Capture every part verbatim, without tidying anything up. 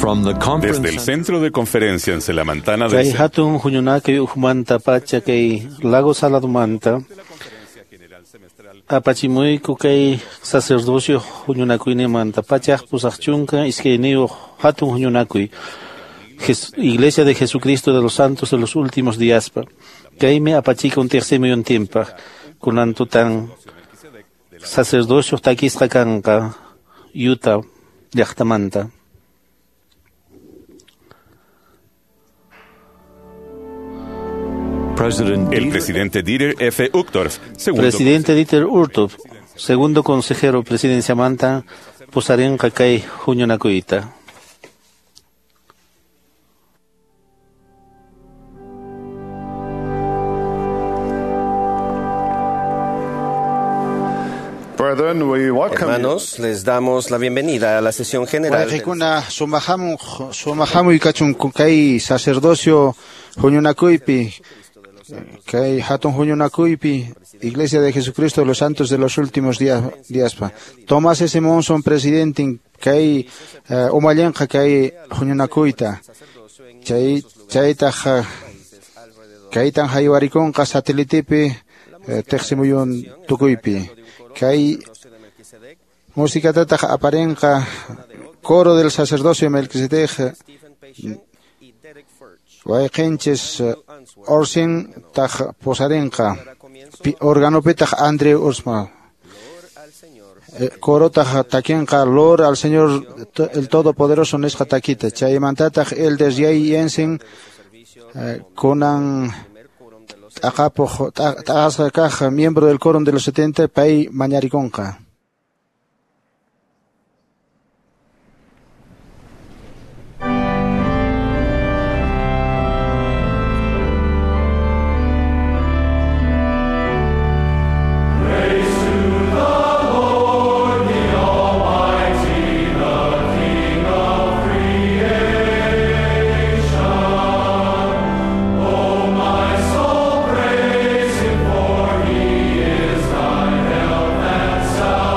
From the conference Desde el Centro de Conferencia en Selamantana del Kay hatun huñunakuy ukhumanta pacha kay Lago Saladumanta apachimuyku kay sacerdocio huñunakuyninmanta pachaq pusaq chunka iskayniyuq hatun huñunakuy Iglesia de Jesucristo de los Santos de los Últimos Días. Kaymi apachikun tiqsimuyuntinpaq kunan tutan sacerdocio takisqa kanqa Utah llaqtamanta. El presidente Dieter F. Uchtdorf, segundo Presidente Dieter Uchtdorf, segundo consejero presidenciamanta pusarinqa kay huñunakuyta. Brethren, we welcome you. Hermanos, les damos la bienvenida a la sesión general. del- Waykikuna sumahamun sumahamuy kachun kay sacerdocio huñunakuypi kay hatun huñunakuypi Iglesia de Jesucristo de los Santos de los Últimos Días díaspa. Tomás S. Monson presidente kay eh, umallinqa kay huñunakuyta chay chaytaq eh, kaytan haywarikunqa satelitepi eh, tiqsimuyun tukuypi kay musikatataq aparinqa coro del sacerdocio Melquisedec wayqinchis eh, Orsin taq pusarinqa pi- organopitaq Andrew Usma Eh, corotaq takinqa Lord al Señor to- el Todopoderoso nisqa takita chaymantataq Elder Jay Jensen eh, kunan t'aqapuq t'a- t'aqasqa kaq miembro del quórum de los setenta pay mañarikunqa. Praise him, for he is thy help and salvation.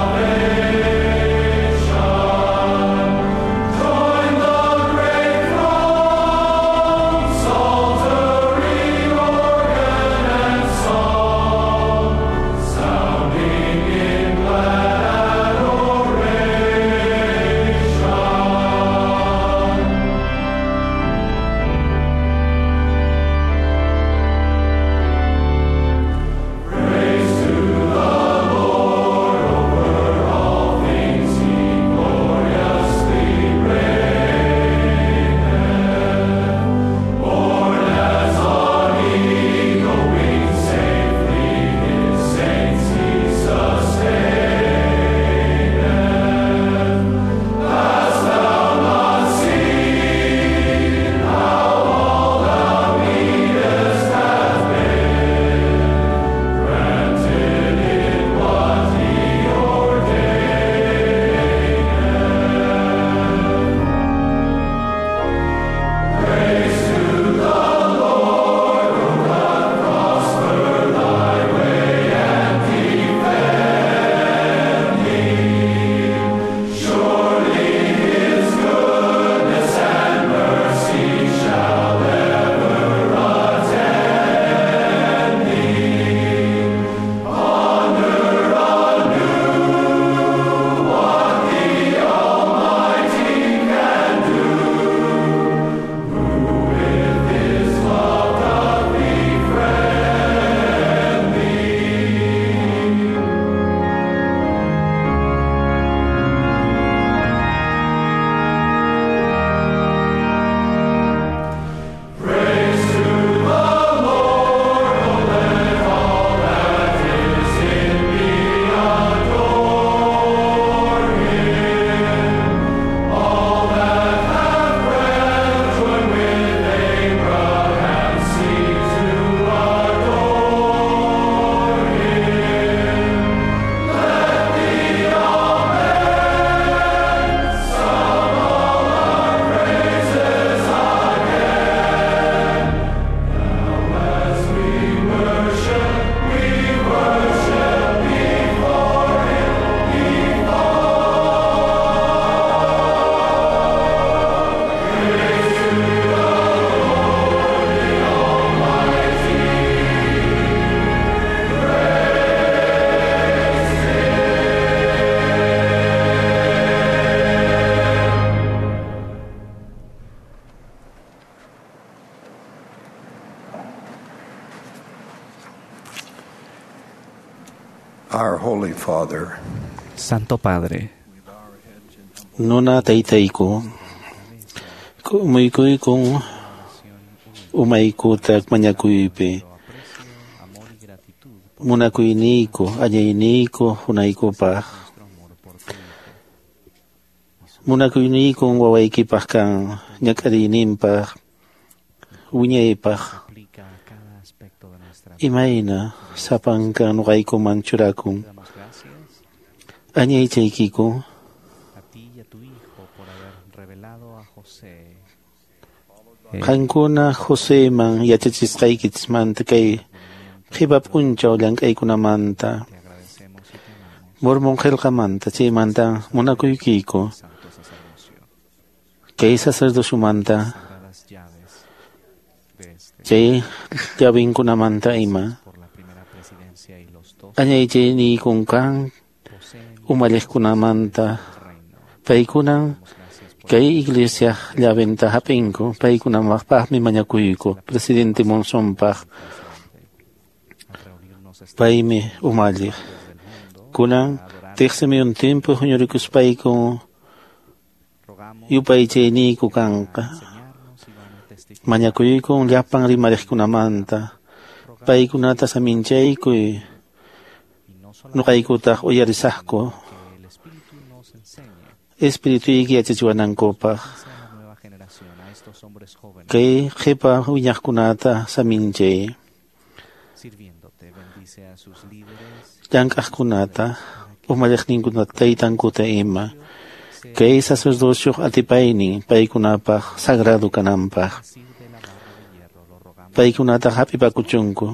Our Holy Father, Santo Padre, Nuna taytayku, k'umuykuykun umaykuta mañakuypi, munakuyniyku, añayniyku hunaykupaq, munakuyniykun wawaykipaq kan ñak'ariyninpaq, wiñaypaq, imayna sapanka nuqaykuman churakun, añaychaykiku, qankuna Joseman yachachisqaykichismanta kay qhipa p'unchaw llank'aykunamanta, Mormon qillqamanta chaymanta munakuykiku, kay sacerdosyumanta, chay llavinkunamanta ima, añaychayniykun kan umalliqkunamanta, paykunan kay iglesia llaventa hap'inku, paykunapaqmi mañakuyku, presidente Monsonpaq, paymi umalliq. Kunan tiqsimuyuntinpi huñurikuspayku yupaychayniyku kanqa, mañakuykun llapan rimariqkunamanta, paykunata saminchaykuy, nuqaykutaq uyarisaqku, espirituyki yachachiwanankupaq, kay qhipa wiñaqkunata saminchay, llank'aqkunata, umalliqninkunata, taytankuta ima, kay sacerdocioq atipaynin paykunapaq sagrado kananpaq, paykunata hap'ipakuchunku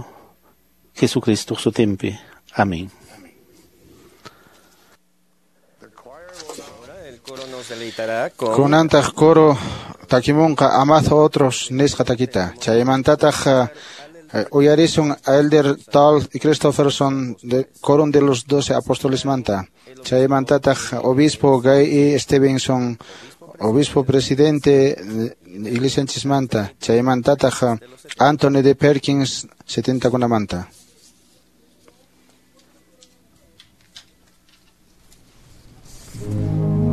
Jesucristoq sutinpi. Amén. Kunantaq coro takimunqa amad otros nisqa takita. Chaymantataq uyarisun Elder Tal y Christopherson de Quórum de los Doce Apóstoles manta. Chaymantataq Obispo Guy E. Stevenson, Obispo Presidente Iglesia Chismanta. Chaymantataq Anthony D. Perkins setenta kunamanta. Commandment.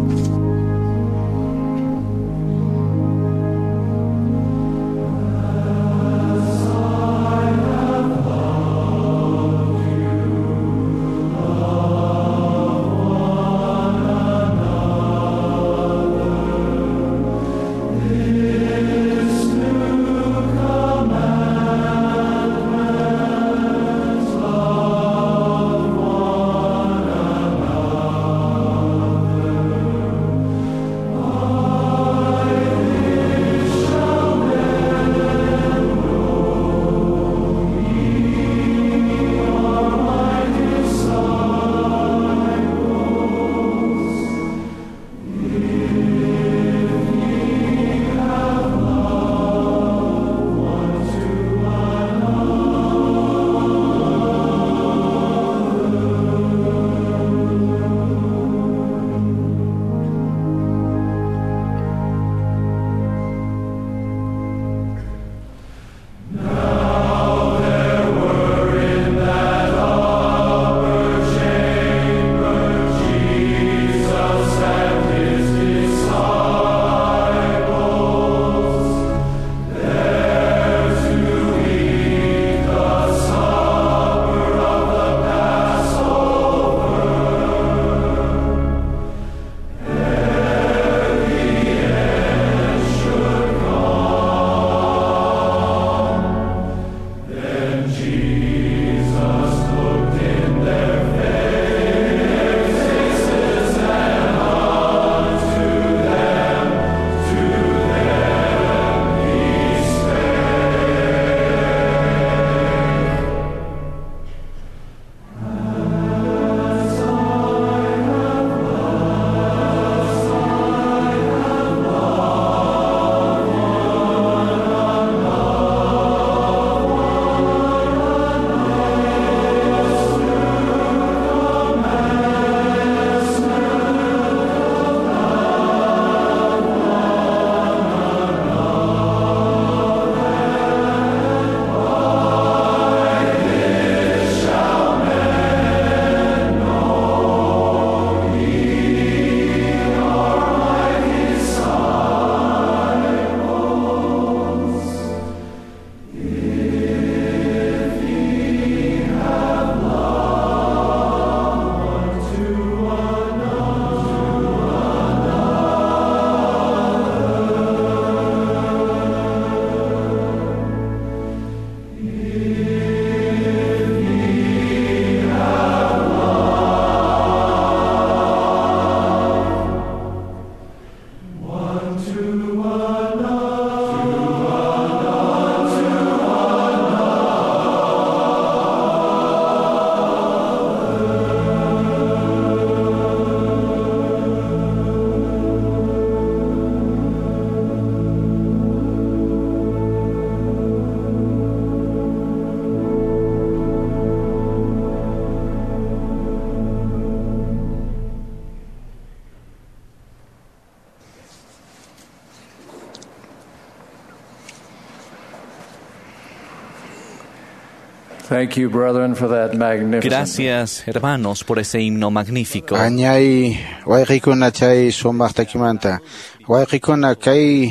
Thank you, brethren, for that magnificent. Gracias, hermanos, por ese himno magnífico. Añay wayqikuna chay sumaq takimanta. Wayqikuna kay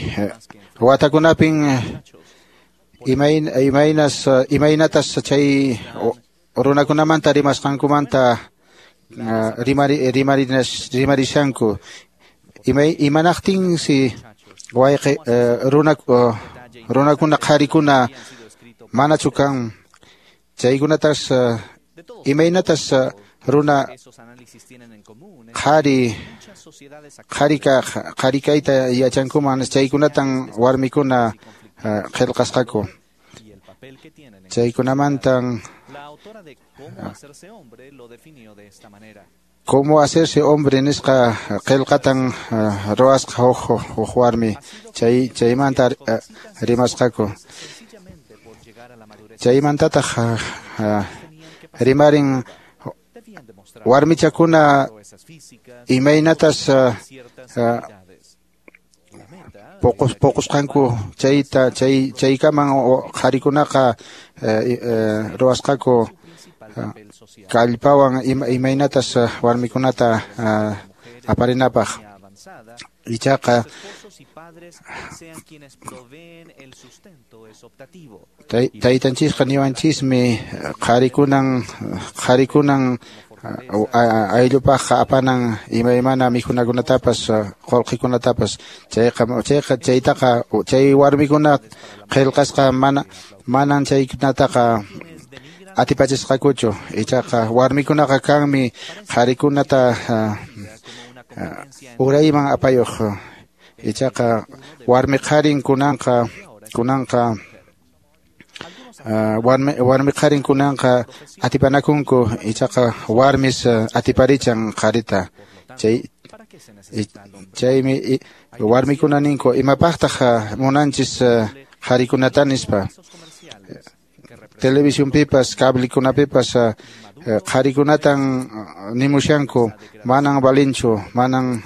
watakunapin imayn imaynas imaynatas chay runakunamanta rimasqankumanta rimari rimarinas rimarishanku. Imay imanaqtinsi wayqi runa runakuna qharikuna manachu kan chaykunatas imaynatas runa qhari qharika qharikayta yachankuman chaykunatan warmikuna qillqasqaku chaykunamantan Cómo hacerse hombre nisqa qillqatan ruwasqa huk huk warmi chay chaymanta rimasqaku chaymantataq rimarin warmichakuna imaynatas poqos poqosqanku chayta chay chaykaman qharikunaqa ruwasqaku kallpawan imaynatas warmikunata aparinapaq ichaqa taytanchisqa niwanchismi qharikunan qharikunan ayllupaqqa apanan imaymana mikhunakunatapas qullqikunatapas chayqa chayqa chaytaqa chay warmikuna qillqasqa mana manan chaykunataqa atipachisqakuchu ichaqa warmikunaqa kanmi qharikunata urayman apayuq ichaqa warmi qharin kunanqa kunanqa warmi warmi qharin kunanqa atipanakunku ichaqa warmis atiparichan qharita chay chaymi warmikuna ninku imapaqtaq munanchis qharikunata nispa televisionpipas cablekunapipas qharikunatan nimushanku manan valinchu manan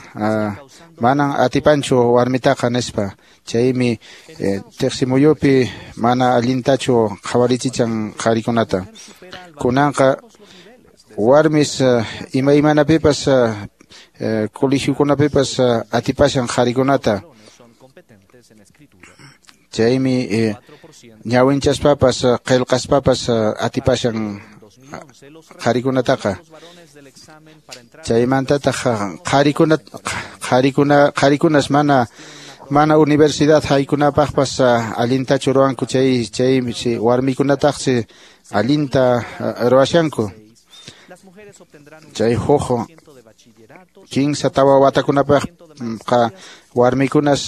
manan atipanchu warmitaqa nispa chaymi tiqsimuyupi mana allintachu qhawarichichan qharikunata kunanqa warmis imaymanapipas colegiokunapipas atipashan qharikunata chaymi ñawinchaspapas qillqaspapas atipashan qharikunataqa chaymantataq qharikuna qharikuna qharikunas mana mana universidad haykunapaqpas allintachu ruwanku chay chay warmikunataqsi allinta ruwashanku chay huk kinsa tawa watakunapaqqa warmikunas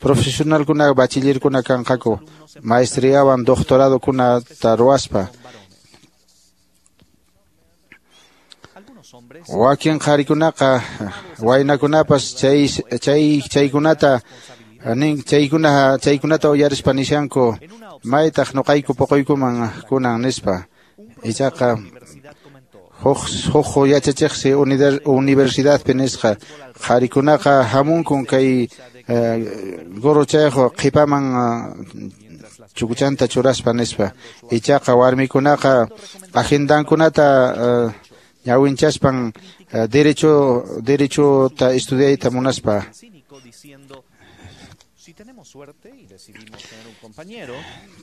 profesionalkuna bachillerkuna kanqaku maestriawan doctoradokunata ruwaspa wakin qharikunaqa waynakunapas chay chay chaykunata nin chaykuna chaykunata uyarispa nishanku maytaq nuqayku puquykuman kunan nispa ichaqa huk huk yachachiqsi universidadpi nisqa qharikunaqa hamunkun kay gorrochayqa qhipaman chukuchanta churaspa nispa ichaqa warmikunaqa agendankunata ñawinchaspan derecho derechota estudiayta munaspa.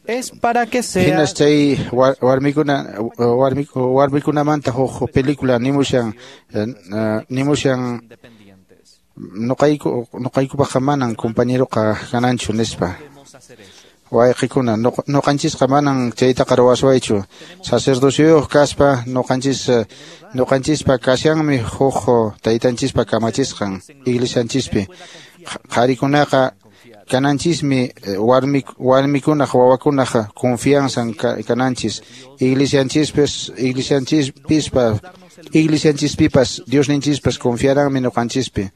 Es para que sea. Hinas chay warmikuna warmikunamanta huk película nimushan nimushan nuqayku nuqaykupaqqa manan compañeroqa kananchu nispa. Wayqikuna nuqanchisqa manan chaytaqa ruwaswaychu sacerdocioyuq kaspa nuqanchis nuqanchispa kashanmi huk taytanchispa kamachisqan iglesianchispi qharikunaqa kananchismi warmi warmikunaq wawakunaq confianzan kananchis iglesianchispis iglesianchispispa iglesianchispipas Diosninchispas confiaranmi nuqanchispi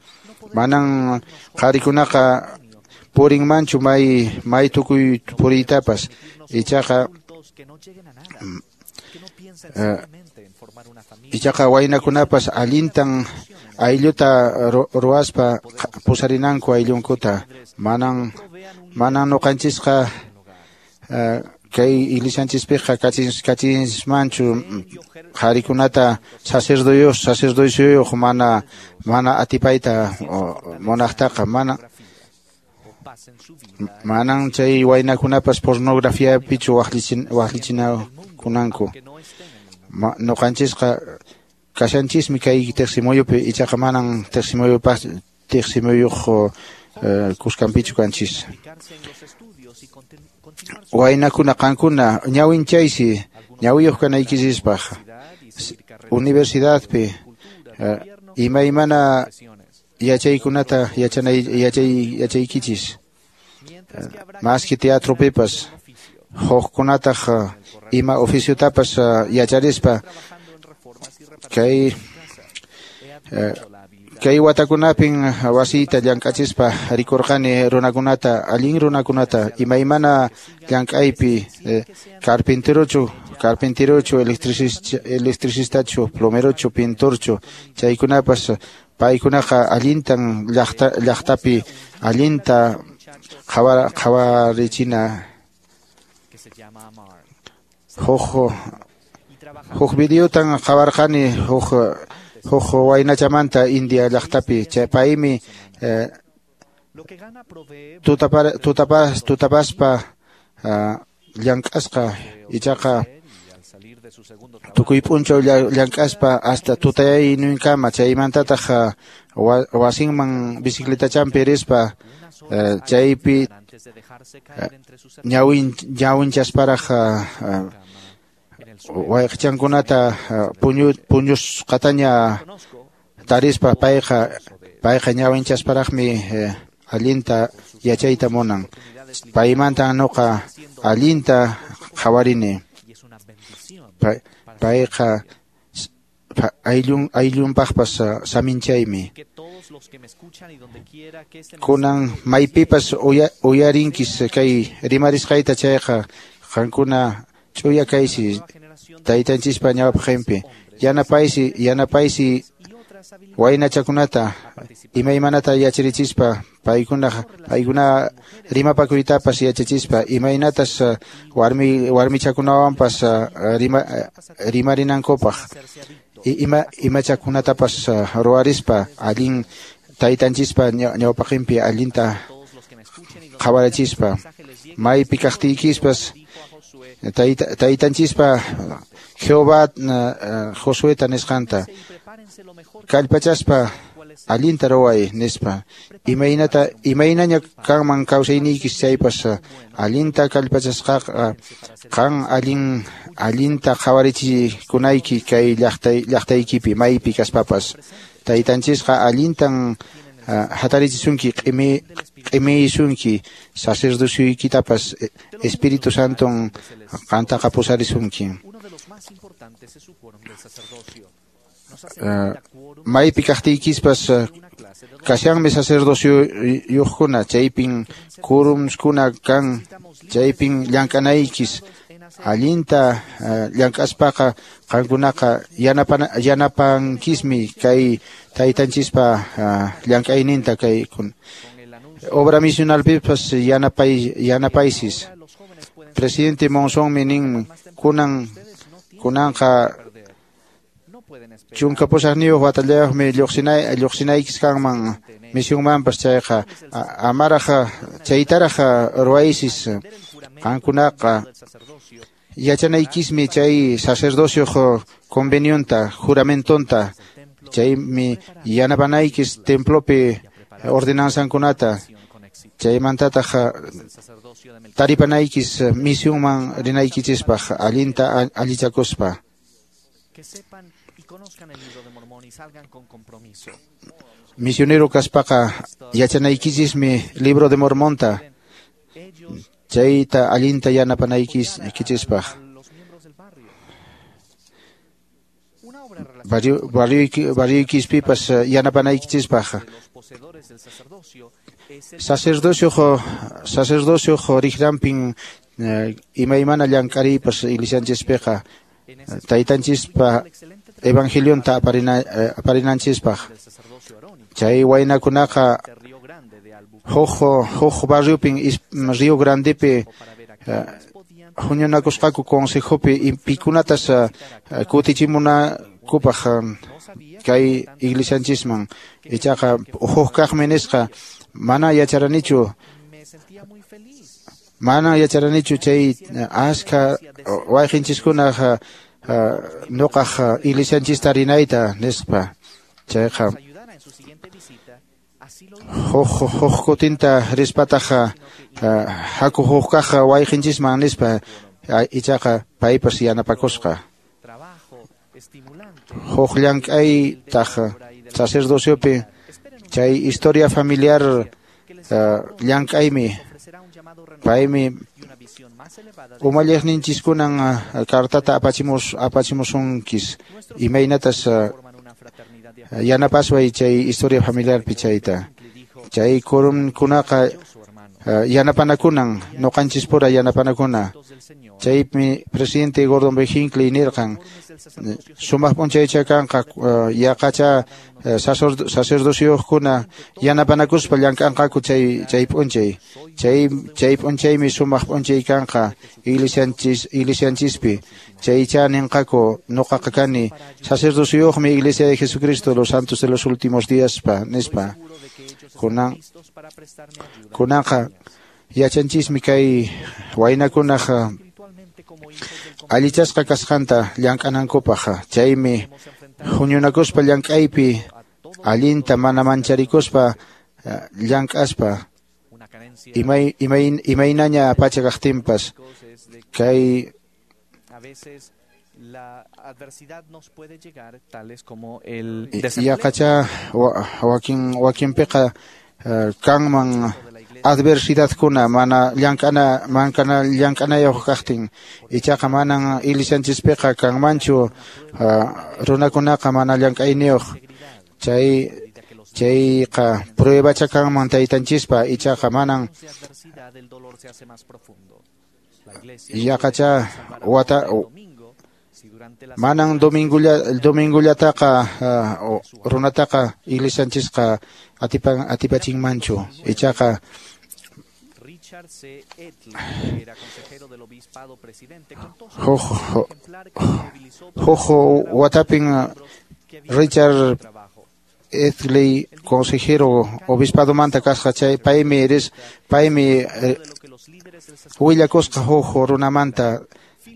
manan qharikunaqa purinmanchu may may tukuy puriytapas ichaqa ichaqa waynakunapas allintan aylluta ruwaspa pusarinanku ayllunkuta manan manan nuqanchisqa Kay iglesianchispiqa kachin kachinsmanchu qharikunata sacerdoyuq sacerdosyuyuq mana mana atipayta munaqtaqa mana manan chay waynakunapas pornografiapichu waqlichin waqlichinakunanku. Ñuqanchisqa kashanchismi kay tiqsimuyupi ichaqa manan tiqsimuyupas tiqsimuyuq kuskanpichu kanchis. Waynakuna qankuna ñawinchaysi ñawiyuq kanaykichispaq universidadpi imaymana yachaykunata yachanay yachay yachaykichis maski teatropipas hukkunataq ima oficiotapas yacharispa kay kay watakunapin wasiyta llank'achispa rikurqani runakunata allin runakunata imaymana llank'aypi carpinterochu carpinterochu electricistachu plomerochu pintorchu chaykunapas paykunaqa allintan llaqta llaqtapi allinta qhawarichina huk huk videotan qhawarqani huk huk waynachamanta India llaqtapi chay paymi tutapas tutapaspa llank'asqa ichaqa tukuy p'unchaw llank'aspa hasta tutayayninkama chaymantataq wasinman bicicletachanpi rispa chaypi ñawin ñawinchasparaq wayqichankunata puñu puñusqataña tarispa payqa payqa ñawinchasparaqmi allinta yachayta munan paymanta nuqa allinta qhawarini payqa ayllun ayllunpaqpas saminchaymi kunan maypipas uyarinkis kay rimarisqayta chayqa qankuna ch'uya kaysi taytanchispa ñawpaqinpi yanapaysi yanapaysi waynachakunata imaymanata yacharichispa paykuna paykuna rimapakuytapas yachachispa imaynatas warmi warmichakunawanpas rima rimarinankupaq ima imachakunatapas ruwarispa allin taytanchispa ñawpaqinpi allinta qhawarichispa maypi kaqtiykispas taytanchispa Jehová Josueta nisqanta kallpachaspa allinta ruway nispa imaynata imaynaña kanman kawsayniykis chaypas allinta kallpachasqaqa qan allin allinta qhawarichikunayki kay llaqtay llaqtaykipi maypi kaspapas taytanchisqa allintan hatarichisunki q'imi q'imiyisunki sacerdosyuykitapas Espíritu Santon qantaqa pusarisunki. Maypi kaqtiykispas kashanmi sacerdosyuyuqkuna chaypin kurumskuna kan chaypin llank'anaykis allinta llank'aspaqa qankunaqa yanapana yanapankismi kay taytanchispa llank'ayninta kay obra misionalpipas yanapay yanapaysis. Presidente Monsonmi nin kunan kunanqa chunka pusaqniyuq watallayuqmi lluqsinay lluqsinaykis kanman misionmanpas chayqa amaraq chaytaraq ruwaysis qankunaqa yachanaykismi chay sacerdocioq convenionta juramentonta chaymi yanapanaykis templopi ordenanzankunata chaymantataq taripanaykis misionman rinaykichispaq allinta allichakuspa. Misionero kaspaqa yachanaykichismi libro de Mormonta chayta allinta yanapanaykichispaq. Barrioykispipas yanapanaykichispaq. Sacerdocioq sacerdocioq riqranpin imaymana llank'ariypas iglesianchispiqa taytanchispa evangelionta aparina aparinanchispaq. Chay waynakunaqa huk huk barriopin Río Grandepi huñunakusqaku consejopi pikunatas kutichimunakupaq kay iglesianchisman ichaqa huk kaqmi nisqa mana yacharanichu mana yacharanichu chay askha wayqinchiskunaq nuqaq iglesianchista rinayta nispa chayqa huk huk kutinta rispataq haku huk kaq wayqinchisman nispa ichaqa paypas yanapakusqa huk llank'aytaq sacerdociopi chay historia familiar llank'aymi paymi umalliqninchiskunan cartata apachimus apachimusunkis imaynatas yanapasway chay historia familiarpi chayta chay kurunkunaqa yanapanakunan nuqanchispura yanapanakuna chaymi presidente Gordon B. Hinckley nirqan sumaq p'unchaycha kanqa yaqacha sacerdocioqkuna yanapanakuspa llank'anqaku chay chay p'unchay chay chay p'unchaymi sumaq p'unchay kanqa iglesianchis iglesianchispi chaycha ninqaku nuqaqa kani sacerdocioqmi Iglesia de Jesucristo de los Santos de los Últimos Días pa nispa kunan kunanqa yachanchismi kay waynakunaq allichasqa kasqanta llank'anankupaq chaymi huñunakuspa llank'aypi allinta mana mancharikuspa llank'aspa imay imay imaynaña pacha kaqtinpas kay la adversidad nos puede llegar tales como el yaqacha wakin wakinpiqa kanman adversidadkuna mana llank'ana mankana llank'anayuq kaqtin ichaqa manan iglesianchispiqa kanmanchu runakunaqa mana llank'ayniyuq chay chayqa pruebacha kanman taytanchispa ichaqa manan yaqacha wata manan domingulla domingullataqa runataqa iglesianchisqa atipan atipachinmanchu ichaqa Richard C. Etley, que era consejero del obispado presidente, contó huk watapin Richard Etley consejero obispado manta kasqa chay paymi eres paymi willakusqa huk runamanta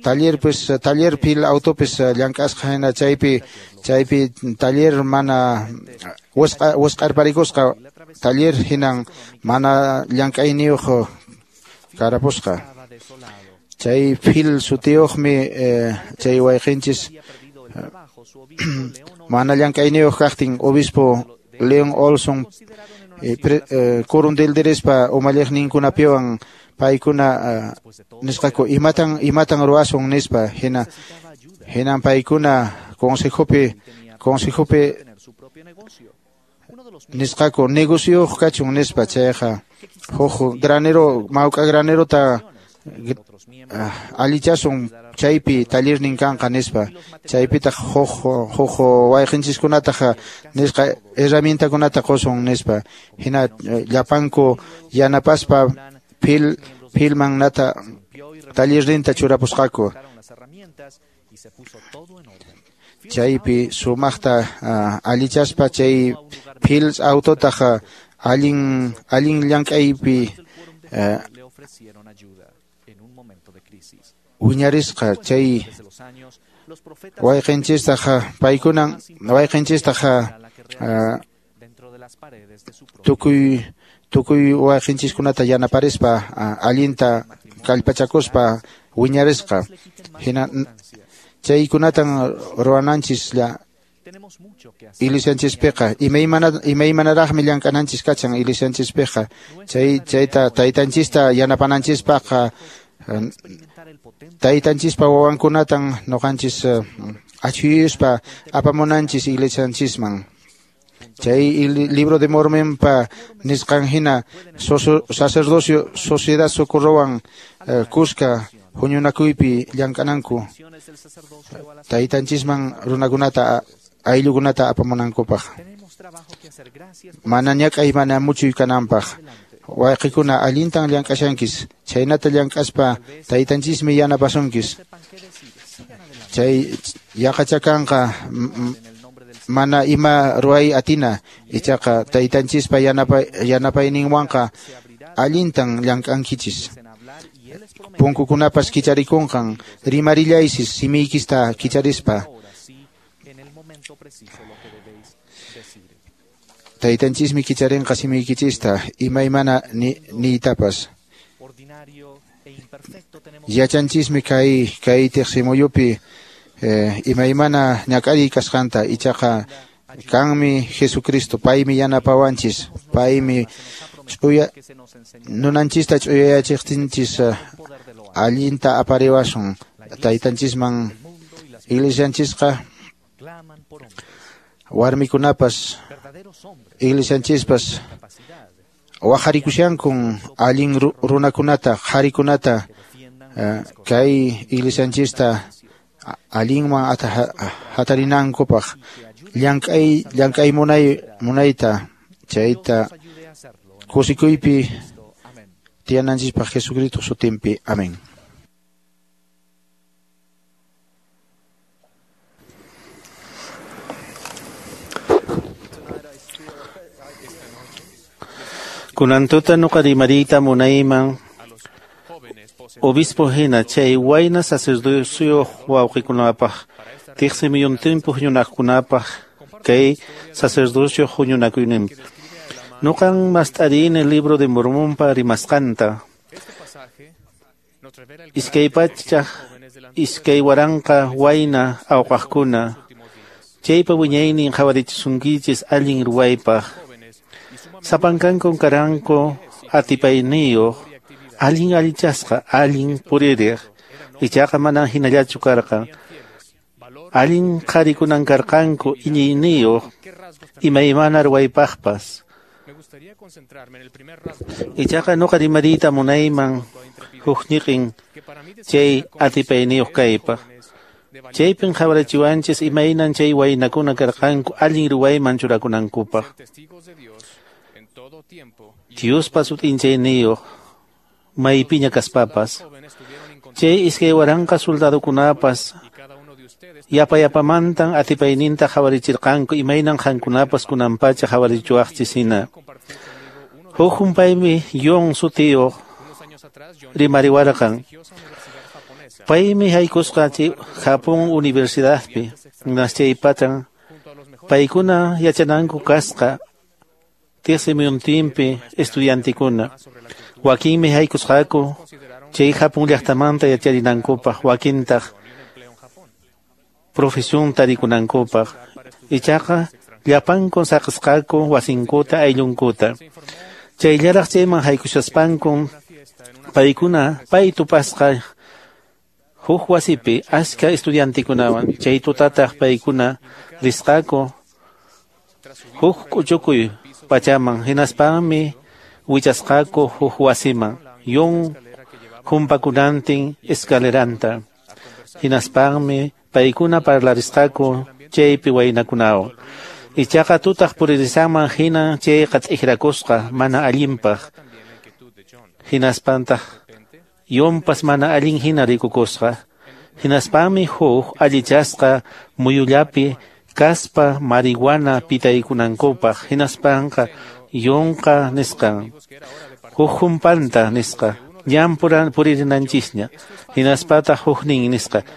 taller pues taller pil autopis llank'asqa hina chaypi chaypi taller mana wisq'a wisq'arparikusqa taller hinan mana llank'ayniyuq karapusqa chay Phil sutiyuqmi chay wayqinchis mana llank'ayniyuq kaqtin obispo Leon Olson kurundelderespa umalliqninkunapiwan paykuna nisqaku imatan imatan ruwasun nispa hina hinan paykuna consejopi consejopi nisqaku negocioyuq kachun nispa chayqa huk granero mawk'a granerota allichasun chaypi tallernin kanqa nispa chaypitaq huk huk wayqinchiskunataq nisqa herramientakunata qusun nispa hina llapanku yanapaspa Phil Philman nata tallerninta churapusqaku chaypi sumaqta allichaspa chay Phil autotaq allin allin llank'aypi wiñarisqa chay wayqinchistaq paykunan wayqinchistaq tukuy tukuy wayqinchiskunata yanaparispa allinta kallpachakuspa wiñarisqa hina chaykunatan ruwananchis la iglesianchispiqa imaymana imaymanaraqmi llank'ananchis kachan iglesianchispiqa chay chayta taytanchista yanapananchispaqqa taytanchispa wawankunatan nuqanchis achhuyuspa apamunanchis iglesianchisman chay libro de Mormonpa nisqan hina sacerdocio sociedad socorrowan kuska huñunakuypi llank'ananku taytanchisman runakunata ayllukunata apamunankupaq mana ñak'ay mana muchuy kananpaq Wayqikuna allintan llank'ashankis, chhaynata llank'aspa taytanchismi yanapasunkis. Chay yaqachakanqa mana ima ruway atina, ichaqa taytanchispa yanapa yanapayninwanqa allintan llank'ankichis. Punkukunapas kicharikunqan, rimarillaysis simiykista kicharispa. Taytanchismi kicharinqa simiykichista imaymana ni, niytapas. Yachanchismi kay kay tiqsimuyupi eh, imaymana ñak'ariy kasqanta, ichaqa kanmi Jesucristo, paymi yanapawanchis, paymi ch'uya nunanchista ch'uyayachiqtinchis allinta apariwasun taytanchisman. Iglesianchisqa warmikunapas iglesianchispas waqarikushankun allin runakunata, qharikunata kay iglesianchista allinman hatarinankupaq llank'ay llank'ay munay munayta chayta kusikuypi tiyananchispaq Jesucristo sutinpi. Amén. Kunantuta nuqa rimariyta munayman obispo hina chay wayna sacerdocioyuq wawqikunapaq tiqsimuyuntinpi huñunakunapaq kay sacerdocio huñunakuyninpi. Nuqan mast'arini libro de Mormonpa rimasqanta. Iskay pachaq iskay waranqa wayna awqaqkuna chaypa wiñaynin qhawarichisunkichis allin ruwaypaq. Sapankankun karanku atipayniyuq, allin allichasqa, allin puririq, ichaqa manan hinallachu karqan. Allin qharikunan karqanku iñiyniyuq, imaymana ruwaypaqpas. Ichaqa nuqa rimariyta munayman huk ñiqin chay atipayniyuq kaypaq. Chaypin qhawarichiwanchis imaynan chay waynakuna karqanku allin ruwayman churakunankupaq. Diospa sut'inchayniyuq maypiña kaspapas. Chay iskay waranqa soldadokunapas yapayapamantan atipayninta qhawarichirqanku imaynan qankunapas kunanpacha qhawarichiwaqchis hina. Huk humpaymi Yon sutiyuq rimariwarqan. Paymi haykusqa chay Japón Universidadpi, chaypatan paykuna yachananku kasqa tiqsimuyuntinpi estudiantikuna. Wakinmi haykusqaku chay Japón llaqtamanta yacharinankupaq, wakintaq profesión tarikunankupaq. Ichaqa llapankun saqisqaku wasinkuta ayllunkuta. Chayllaraq chayman haykushaspankun paykuna pay tupasqa huk wasipi achka estudiantikunawan. Chay tutataq paykuna risqaku huk k'uchukuy pachaman, hinaspanmi wichasqaku huk wasiman yun humpakunantin escaleranta. Hinaspanmi paykuna parlarisqaku chaypi waynakunawan. Ichaqa tutaq puririsanman hina chayqa t'ikrakusqa mana allinpaq. Hinaspantaq yunpas mana allin hina rikukusqa. Hinaspanmi huk allichasqa muyullapi kaspa marihuana pitaykunankupaq. Hinaspanqa yunqa nisqan huk humpanta nisqa ñan puririnanchisña. Hinaspataq huknin nisqa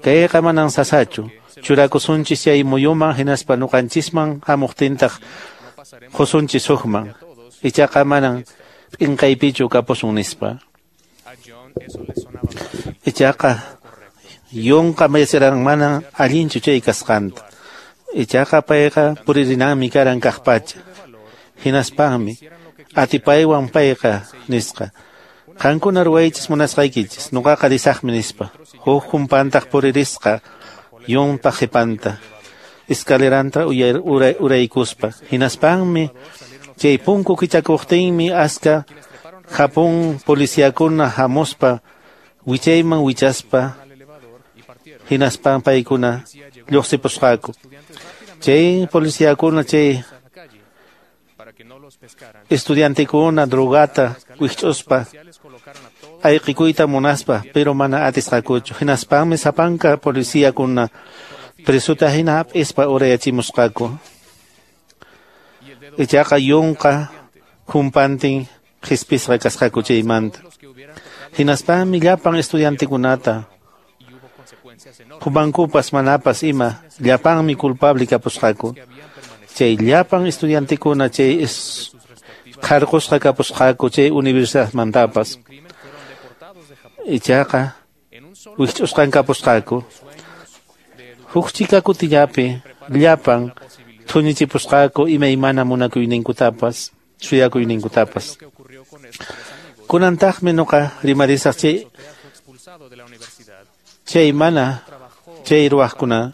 kayqa manan sasachu, churakusunchis chay muyuman hinaspa nuqanchisman hamuqtintaq qusunchis hukman, ichaqa manan p'inqaypichu kapusun nispa. Ichaqa yunqa mayachiran manan allinchu chay kasqanta. Ichaqa payqa puririnanmi karan kaqpacha. Hinaspanmi atipaywan payqa nisqa qankuna ruwaychis munasqaykichis, nuqaqa risaqmi nispa. Huk humpantaq puririsqa yunpa qhipanta escaleranta uraykuspa. Hinaspanmi chay punku kichakuqtinmi aska Japón policiakuna hamuspa wichayman wichaspa hinaspan paykuna lluqsipusqaku. Chay policiakuna chay estudiantekuna drogata wikch'uspa ayqikuyta munaspa, pero mana atisqakuchu. Hinaspanmi sapanka policíakuna presuta hina hap'ispa urayachimusqaku. Ichaqa yunqa humpantin qhispisqa kasqaku chaymanta. Hinaspanmi llapan estudiantekunata humankupas manapas ima llapanmi culpable kapusqaku. Chay llapan estudiantekuna chay qarqusqa kapusqaku chay universidadmantapas. Ichaqa wikch'usqan kapusqaku. Huk chika kutillapi llapan thuñichipusqaku imaymana munakuyninkutapas, suyakuyninkutapas. Kunantaqmi nuqa rimarisaq chay chay mana chay ruwaqkuna,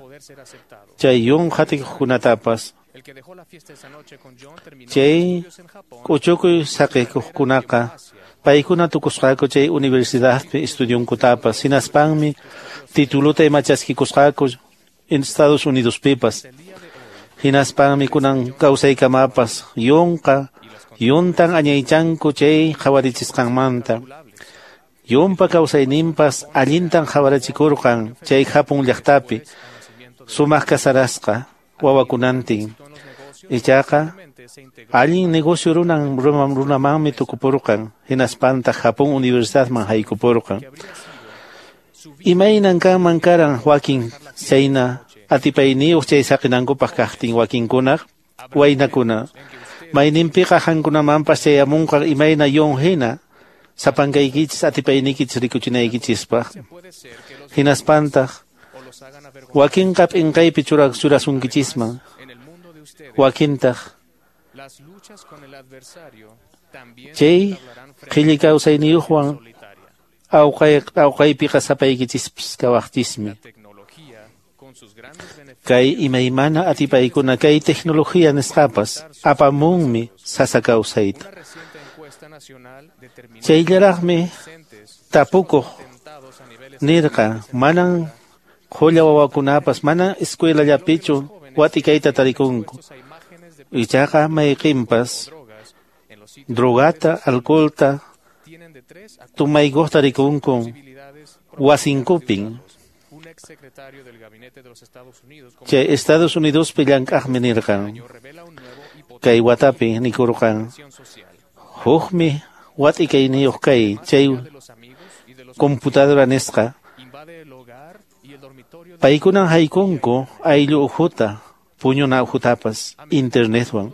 chay yun qatikuqkunatapas. Chay k'uchukuy saqikuqkunaqa paykuna tukusqaku chay universidadpi estudionkutapas, hinaspanmi tituluta ima chaskikusqaku en Estados Unidospipas. Hinaspanmi kunan kawsaykamapas yunqa yuntan añaychanku chay qhawarichisqanmanta. Yunpa kawsayninpas allintan qhawarachikurqan chay Japón llaqtapi sumaq kasarasqa wawakunantin. Ichaqa allin negocio runan runamanmi tukupurqan, hinaspantaq Japón universidadman haykupurqan. Imaynan kanman karan wakin chayna atipayniyuq chay saqinankupaq kaqtin wakinkunaq waynakuna. Mayninpiqa qankunamanpas chayamunqa imayna yun hina sapankaykichis atipaynikichis rikuchinaykichispaq. Hinaspantaq wakinqa p'inqaypi churasunkichisman, wakintaq chay qhilli kawsayniyuqwan awqay awqaypiqa sapaykichispas kawaqchismi. Kay imaymana atipaykuna kay tecnología nisqapas apamunmi sasa kawsayta. Chayllaraqmi tapukuq nirqa manan qhulla wawakunapas mana escuelallapichu watikayta tarikunku. Ichaqa mayqinpas drogata, alcoholta tumaykuqta rikunku wasinkupin. Chay Estados Unidospi llank'aqmi nirqan kay watapi nikurqan hukmi wat'ikayniyuq kay chay computadora nisqa. Paykunan haykunku ayllu ukhuta puñuna ukhutapas internetwan.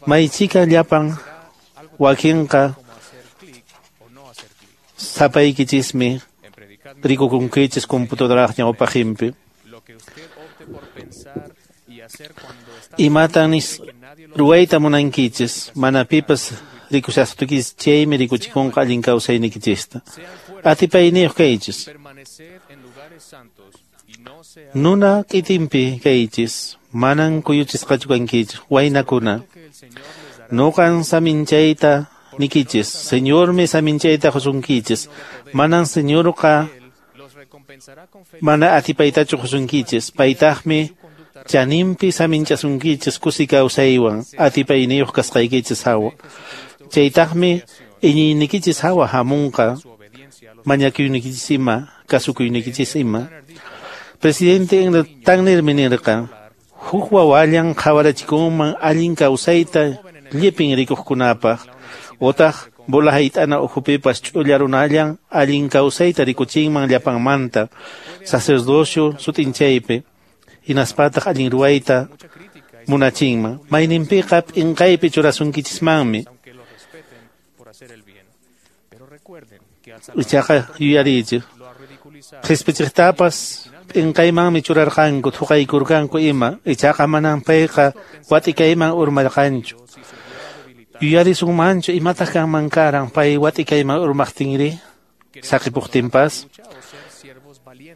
Maychika llapan wakinqa sapaykichismi rikukunkichis computadoraq ñawpaqinpi. Imatan ruwayta munankichis mana pipas rikushastukis chaymi rikuchikunqa allin kawsaynikichista. Atipayniyuq kaychis. Nuna k'itinpi kaychis manan kuyuchisqachu kankichis waynakuna. Nuqan saminchayta nikichis, Señormi saminchayta qusunkichis, manan Señorqa mana atipaytachu qusunkichis, paytaqmi chaninpi saminchasunkichis kusi kawsaywan atipayniyuq kasqaykichis hawa. Chaytaqmi iñiynikichis hawa hamunqa mañakuynikichis ima, kasukuynikichis ima. Presidente Tannermi nirqa huk wawallan qhawarachikunman allin kawsayta llipin rikuqkunapaq, otaq bola hayt'ana ukhupipas ch'ulla runallan allin kawsayta rikuchinman llapanmanta sacerdocio sut'inchaypi, hinaspataq allin ruwayta munachinman. Mayninpiqa p'inqaypi churasunkichismanmi. Ichaqa yuyariychik qhispichiqtapas p'inqaymanmi churarqanku thuqaykurqanku ima, ichaqa manan payqa watikayman urmarqanchu. Yuyarisunmanchu imataq kanman karan pay watikayman urmaqtinri saqipuqtinpas.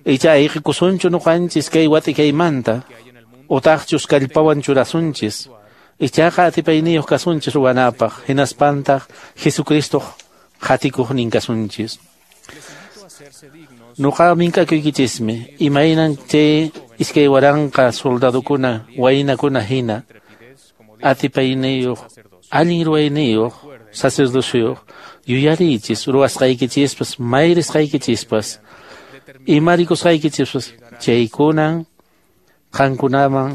Icha ayqikusunchu nuqanchis kay watikaymanta utaqchus kallpawan churasunchis. Ichaqa atipayniyuq kasunchis ruwanapaq, hinaspantaq Jesucristoq qatikuqnin kasunchis. Nuqa mink'akuykichismi imaynan chay iskay waranqa soldadukuna waynakuna hina atipayniyuq Allin ruwayniyuq sacerdocio yuyariychis ruwasqaykichispas mayrisqaykichispas imarikusqaykichispas chaykunan qankunaman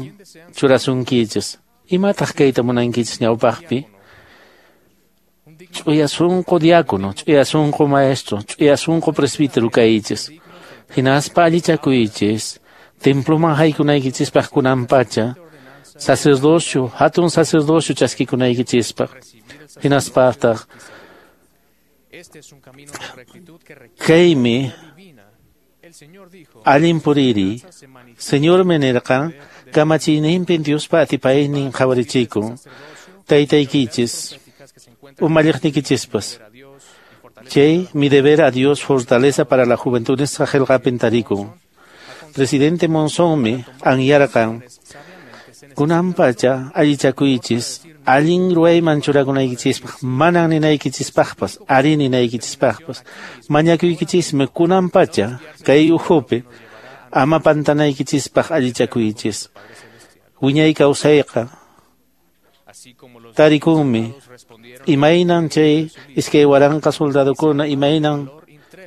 churasunkichis. Imataq kayta munankichis ñawpaqpi? Ch'uya sunqu diácono, ch'uya sunqu maestro, ch'uya sunqu presbítero kaychis. Hinaspa allichakuychis temploman haykunaykichispaq kunanpacha sacerdocio, hatun sacerdocio chaskikunaykichispaq. Hinaspataq kaymi allin puriri. Señor nirqan kamachiyninpi Diospa atipaynin qhawarichikun taytaykichis umalliqnikichispas. Chay mi deber a Dios fortaleza para la juventud nisqa qillqapin tarikun. Presidente Monsonmi anyarqan kunanpacha allichakuychis allin ruwayman churakunaykichispaq manan ninaykichispaqpas ari ninaykichispaqpas mañakuykichismi kunanpacha kay ukhupi ama pantanaykichispaq allichakuychis. Wiñay kawsayqa tarikunmi imaynan chay iskay waranqa soldadokuna imaynan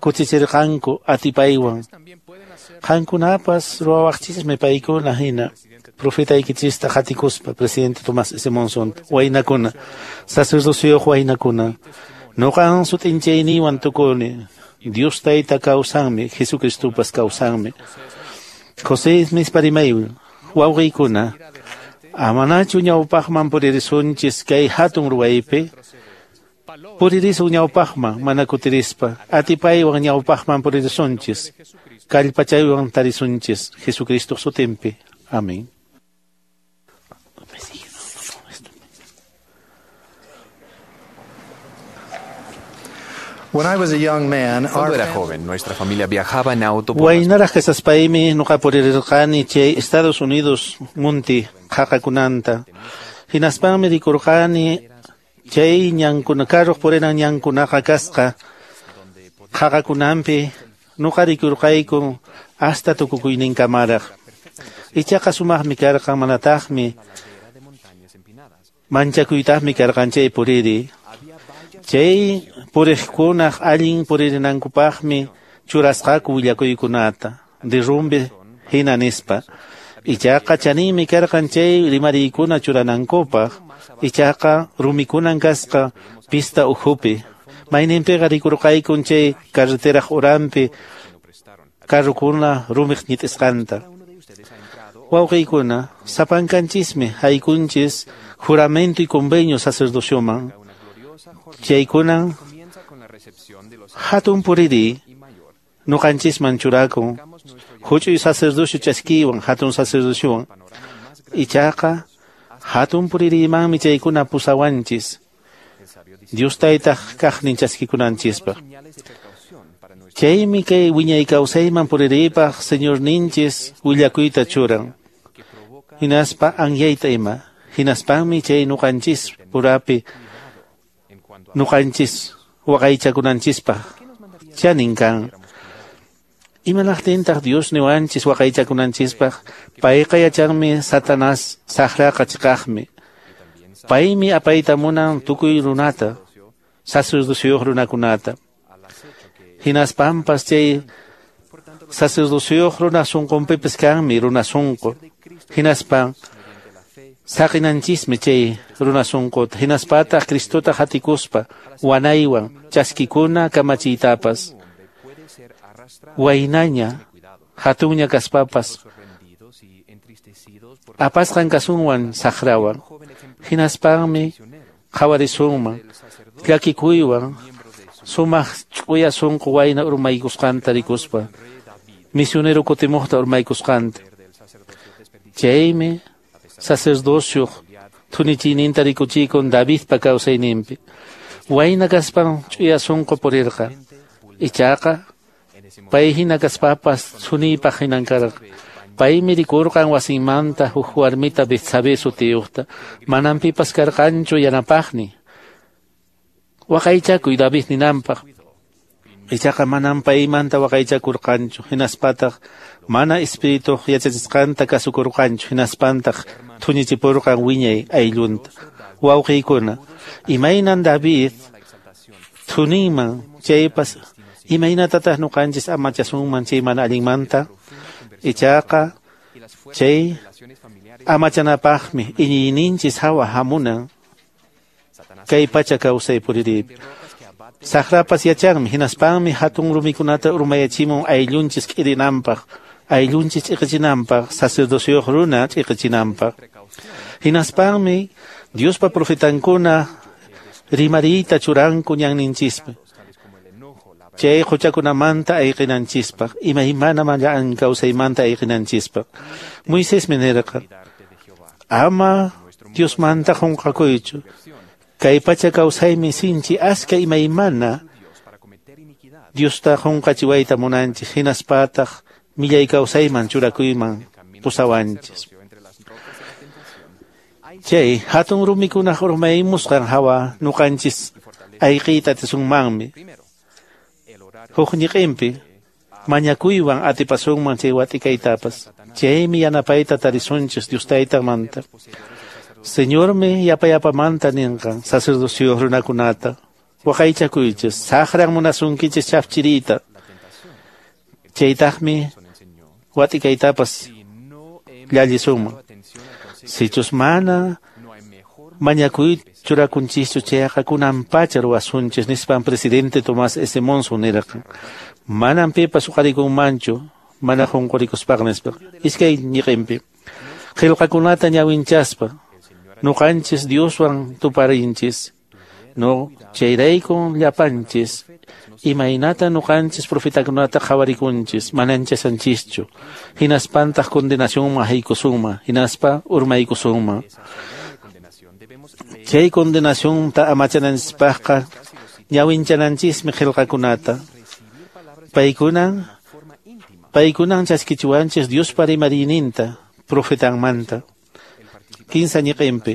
kutichirqanku atipaywan. Qankunapas ruwawaqchismi paykuna hina profetaykichista qatikuspa presidente Tomás S. Monson waynakuna sacerdocioyuq waynakuna nuqan sut'inchayniwan tukuni Dios tayta kawsanmi Jesucristupas kawsanmi. José Smith parimaywan wawqiykuna amanachu ñawpaqman puririsunchis kay hatun ruwaypi puririsun ñawpaqman mana kutirispa atipaywan ñawpaqman puririsunchis kallpachaywan tarisunchis Jesucristo sutinpi. Amén. Cuando era joven, nuestra familia viajaba en auto por las Waynaraq kasaspaymi nuqa purirqani chay Estados Unidos munti qhaqakunanta. Hinaspanmi rikurqani chay ñankuna carruq purinan ñankunaqa kasqa qhaqakunanpi nuqa rikurqayku hasta tukukuyninkamaraq. Ichaqa sumaqmi karqan manataqmi manchakuytaqmi karqan chay puriri. Chay puriqkunaq allin puririnankupaqmi churasqaku willakuykunata derrumbe hina nispa. Ichaqa chaninmi karqan chay rimariykuna churanankupaq. Ichaqa rumikunan kasqa pista ukhupi. Mayninpiqa rikurqaykun chay carreteraq uranpi carrukuna rumiq ñit'isqanta. Wawqiykuna sapankanchismi haykunchis juramento y convenio sacerdocioman. Chaykunan hatun puriri nuqanchisman churakun huch'uy sacerdocio chaskiwan hatun sacerdociowan. Ichaqa hatun puririmanmi chaykuna pusawanchis Dios taytaq kaqnin chaskikunanchispaq. Chaymi kay wiñay kawsayman puriripaq Señorninchis willakuyta churan hinaspa anyayta ima. Hinaspanmi chay nuqanchis purapi nuqanchis waqaychakunanchispaq chanin kan. Imanaqtintaq Dios niwanchis waqaychakunanchispaq? Payqa yachanmi Satanás saqraqa chiqaqmi. Paymi apayta munan tukuy runata sacerdocioyuq runakunata. Hinaspanpas chay sacerdocioyuq runa sunqunpipis kanmi runa sunqu. Hinaspan saqinanchismi chay runa sunquta. Hinaspataq Cristota qatikuspa wanaywan chaskikuna kamachiytapas. Waynaña hatunña kaspapas apasqan kasunwan saqrawan. Hinaspanmi qhawarisunman llakikuywan sumaq ch'uya sunqu wayna urmaykusqanta rikuspa misionero kutimuqta urmaykusqanta. Chaymi sacerdocioq thunichiyninta rikuchikun Davidpa kawsayninpi. Wayna kaspan ch'uya sunqu purirqa. Ichaqa pay hina kaspapas thuniypaq hinan karqa. Paymi rikurqan wasinmanta huk warmita Betsabé sutiyuqta. Manan pipas karqanchu yanapaqni. Waqaychakuy David ninanpaq. Ichaqa manam paymanta waqaychakurqanchu, hinaspataq mana espirituq yachachisqanta kasukurqanchu, hinaspantaq thuñichipurqan wiñay ayllunta. Wawqiykuna, imaynan David thuninman chaypas, imaynatataq ñuqanchis amachasunman chay mana allinmanta? Ichaqa chay amachanapaqmi iñiyninchis hawa hamunan kay pacha kawsay puririypi. Saqrapas yachanmi, hinaspanmi hatun rumikunata urmayachimun ayllunchis k'irinanpaq, ayllunchis ch'iqichinanpaq, sacerdocio runa ch'iqichinanpaq. Hinaspanmi Diospa profetankuna rimariyta churanku ñanninchispi. Chay huchakunamanta ayqinanchispaq, imaymana mana kawsaymanta ayqinanchispaq. Moisésmi nirqa, ama Diosmanta qunqakuychu. Kay pacha kawsaymi sinchi aska imaymana Diosta qunqachiwayta munanchis, hinaspataq millay kawsayman churakuyman pusawanchis. Chay hatun rumikunaq urmaymusqan hawa ñuqanchis ayqiyta atisunmanmi. Huk ñiqinpi mañakuywan atipasunman chay watikaytapas. Chaymi yanapayta tarisunchis Dios taytamanta. Señormi yapayapamanta ninqan sacerdocio runakunata. Waqaychakuychis, saqran munasunkichis chafchiriyta. Chaytaqmi watikaytapas llallisunman. Sichus mana mañakuy churakunchischu chayqa kunanpacha ruwasunchis nispan presidente Tomás S. Monson nirqan. Manam pipas uqarikunmanchu mana qunqurikuspaqa nispa. Iskay ñiqinpi qillqakunata ñawinchaspa ñuqanchis Dioswan tuparinchis. No, chayraykun llapanchis imaynata ñuqanchis profetakunata qhawarikunchis mananchasanchischu. Hinaspantaq condenacionman haykusunman, hinaspa urmaykusunman. Chay condenacionta amachananchispaqqa ñawinchananchismi qillqakunata. Paykunan paykunan chaskichiwanchis Diospa rimariyninta profetanmanta. Kinsa ñiqinpi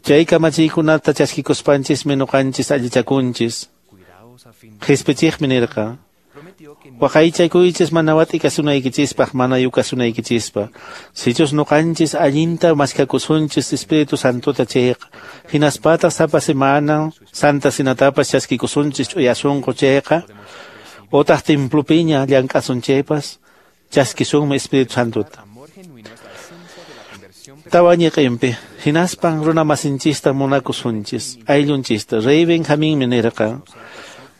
chay kamachiykunata chaskikuspanchismi ñuqanchis allichakunchis. Qhispichiqmi nirqa, waqaychakuychis mana wat'ikasunaykichispaq, mana yukasunaykichispaq. Sichus ñuqanchis allinta maskakusunchis Espíritu Santota chayqa, hinaspataq sapa semana Santa Cenatapas chaskikusunchis ch'uya sunqu chayqa, otaq templopiña llank'asun chaypas, chaskisunmi Espíritu Santota. Tawa ñiqinpi hinaspan runa masinchista munakusunchis, ayllunchista. Rey Benjaminmi nirqa,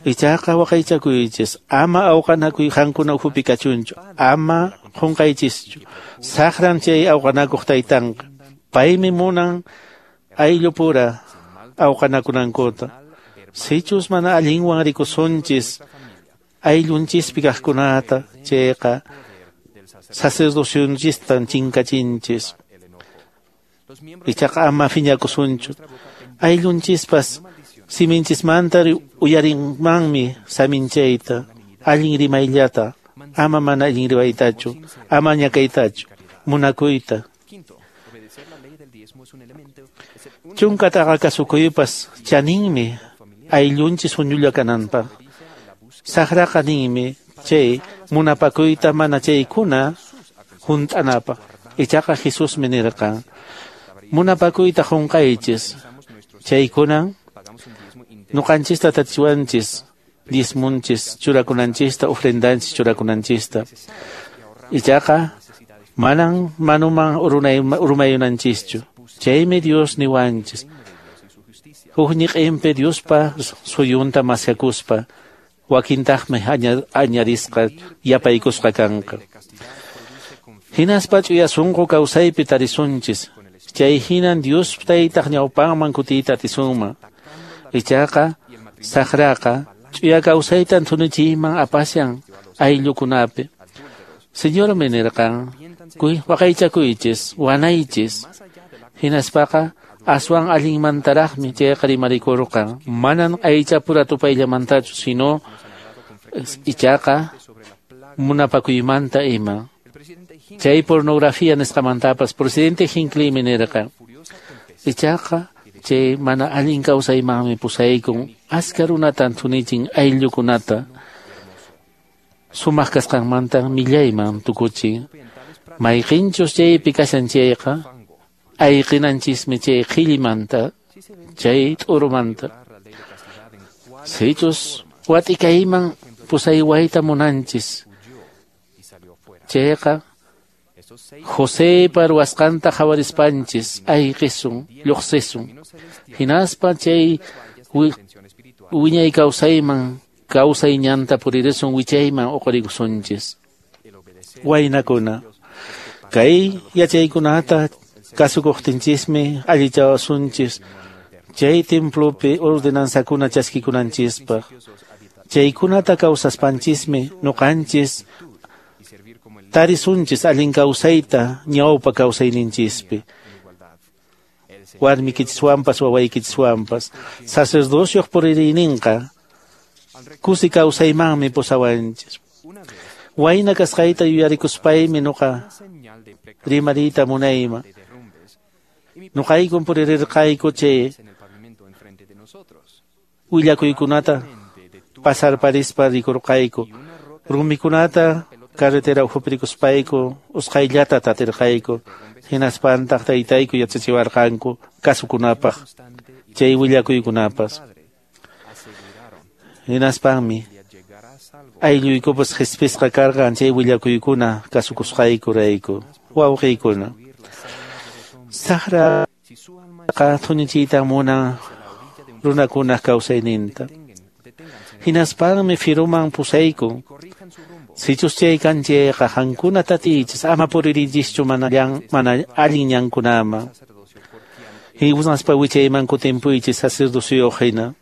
ichaqa waqaychakuychis, ama awqanakuy qankuna ukhupi kachunchu, ama qunqaychischu. Saqran chay awqanakuq taytanqa, paymi munan ayllupura awqanakunankuta. Sichus mana allinwan rikusunchis ayllunchispi kaqkunata chayqa sacerdocionchistan chinkachinchis. Ichaqa ama phiñakusunchu. Ayllunchispas siminchismanta uyarinmanmi saminchayta, allin rimayllata, ama mana allin rimaytachu, ama ñakaytachu, munakuyta. Chunkataqa kasukuypas chaninmi ayllunchis huñulla kananpaq. Saqraqa ninmi chay munapakuyta mana chaykuna hunt'anapaq. Ichaqa Jesusmi nirqan, munapakuyta qunqaychis, chaykunan ñuqanchista tatichiwanchis, diezmunchis churakunanchista, ofrendanchis churakunanchista. Ichaqa manan manuman urmayunanchischu. Chaymi Dios niwanchis. Huk ñiqinpi Diospa suyunta maskakuspa, wakintaqmi añadisqa yapaykusqa kanqa. Hinaspa ch'uya sunqu kawsaypi tarisunchis. Chay hinan Dios taytaq ñawpanman kutiyta atisunman. Ichaqa saqraqa ch'uya kawsaytan thunichiyman apashan ayllukunapi. Señormi nirqan, waqaychakuychis, wanaychis. Hinaspaqa aswan allinmantaraqmi chayqa rimarikurqan. Manan aychapura tupayllamantachu, sino ichaqa munapakuymanta ima. Chay pornografía nisqamantapas presidente Hinckleymi nirqan, ichaqa Chay mana allin kawsaymanmi pusaykun aska runatan thunichin ayllukunata sumaq kasqanmanta millayman tukuchin. Mayqinchus chaypi kashan chayqa ayqinanchismi chay qhillimanta chay t'urumanta. Sichus watikayman pusaywayta munanchis chayqa Josepa ruwasqanta qhawarispanchis ayqisun lluqsisun hinaspa chay wiñay kawsayman kawsay ñanta puririsun wichayman uqurikusunchis. Waynakuna kay yachaykunata kasukuqtinchismi allichawasunchis chay templopi ordenanzakuna chaskikunanchispaq. Chaykunata kawsaspanchismi nuqanchis tarisunchis allin kawsayta ñawpa kawsayninchispi. Warmikichiswanpas wawaykichiswanpas sacerdocioq puririyninqa kusi kawsaymanmi pusawanchis. Wayna kasqayta yuyarikuspaymi nuqa rimariyta munayman. Nuqaykun puririrqayku chay willakuykunata pasarparispa rikurqayku. Rumikunata carretera ukhupirikuspayku usqhayllata tatirqayku. Hinaspantaq taytayku yachachiwarqanku kasukunapaq chay willakuykunapas. Hinaspanmi aylluykupas qhispisqa karqan chay willakuykuna kasukusqaykurayku. Wawqiykuna saqraqa thunichiyta munan runakunaq kawsayninta. Hinaspanmi firuman pusaykun. Sichus chay kan chayqa qankuna tatiychis ama puririchischu mana mana allin ñankunaman. Hinaspa wichayman kutimpuychis sacerdocioyuq hina.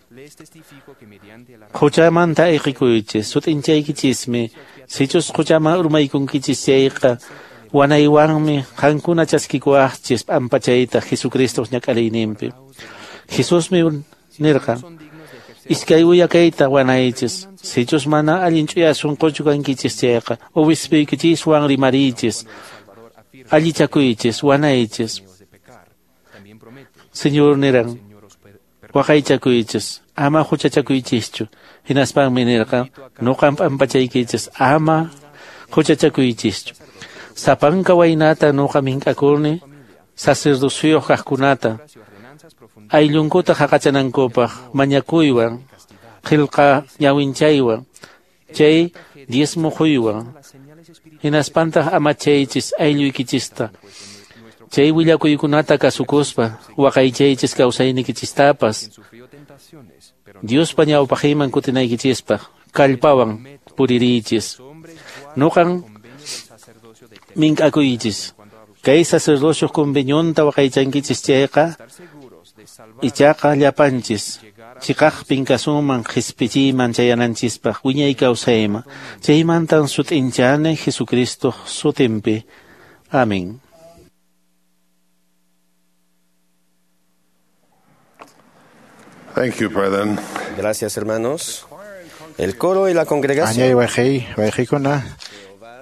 Quchamanta ayqikuychis sut'inchaykichismi sichus quchaman urmaykunkichis chayqa wanaywanmi qankuna chaskikuwaqchis p'ampachayta Jesucristoq ñak'ariyninpi. Jesusmi nirqan iskay uyakayta wanaychis sichus mana allin ch'uya sunquchu kankichis chayqa obispuykinchiswan rimariychis allichakuychis wanaychis. Señor niran waqaychakuychis ama huchachakuychischu. Hinaspanmi nirqan nuqan p'ampachaykichis ama huchachakuychischu. Sapanka waynata nuqa mink'akuni sacerdocioyuq kaqkunata ayllunkuta haqachanankupaq mañakuywan qillqa ñawinchaywan chay diezmo quywan. Hinaspantaq amachaychis aylluykichista chay willakuykunata kasukuspa waqaychaychis kawsaynikichistapas Diospa ñawpaqinman kutinaykichispaq kallpawan puririychis. Nuqan mink'akuychis kay sacerdocioq convenionta waqaychankichis chayqa ichaqa llapanchis chiqaqpin kasunman qhispichiyman chayananchispaq wiñay kawsayman. Chaymantan sut'inchani Jesucristoq sutinpi. Amén. Thank you, brethren. Gracias, hermanos. El coro y la congregación. Añay wayqi, wayqikuna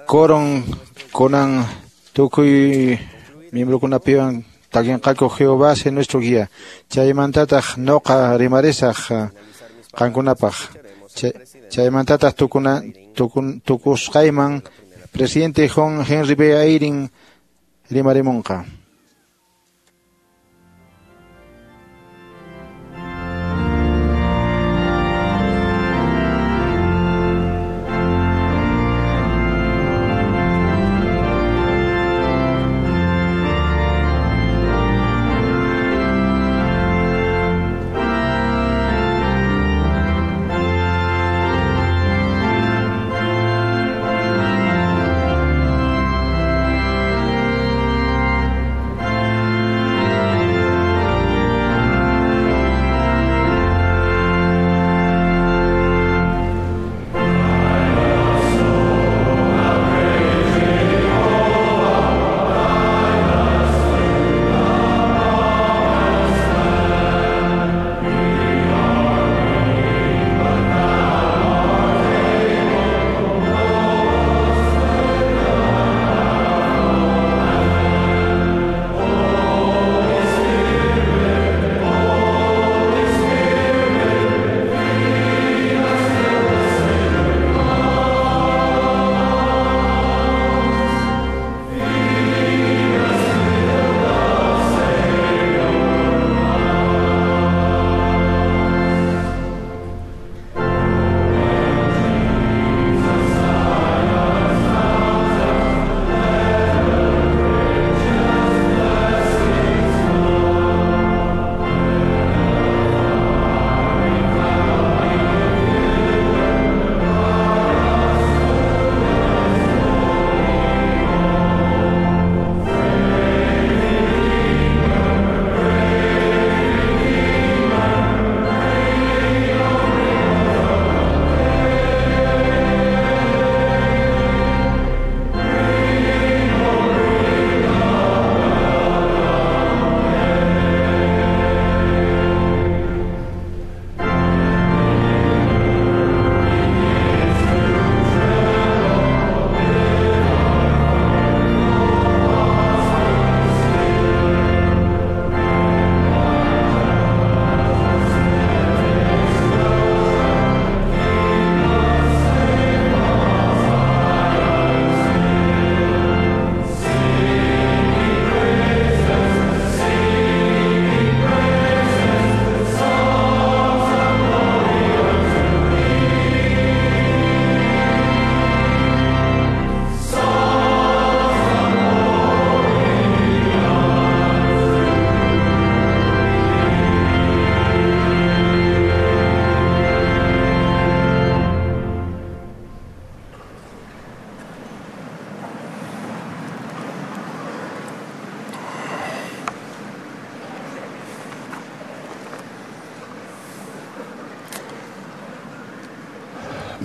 coron kunan tukuy miembrokunapiwan takinqaku Jehová es nuestro guía. Chaymantataq noqa rimarisaq qankunapaq. Chaymantataq tukuna tukun tukusqayman presidente John Henry B. Eyring rimarimunqa.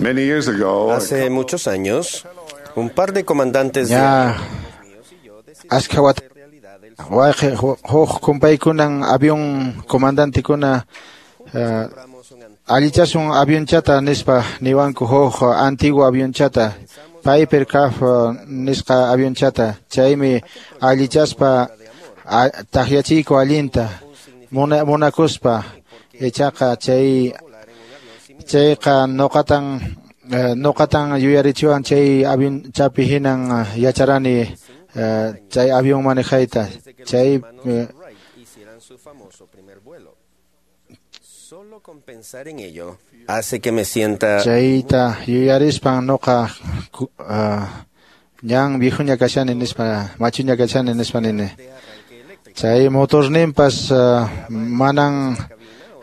Many years ago, Hace muchos años, un par de comandantes de Ña askha wata wayqi huk kumpaykunan avión comandantekuna uh, allichasun avionchata nispa niwanku huk antiguo avionchata Piper Cub nisqa avionchata chaymi allichaspa takyachiyku allinta muna, munakuspa ichaqa chay chayqa nuqatan uh, nuqatan yuyarichiwan chay avionchapi hinan yacharani uh, chay avión manejayta chay uh, Solo con pensar en ello hace que me sienta chayta yuyarispan nuqa uh, ñan viejuña kashani nispa machuña kashani nispa nini chay motorninpas uh, manan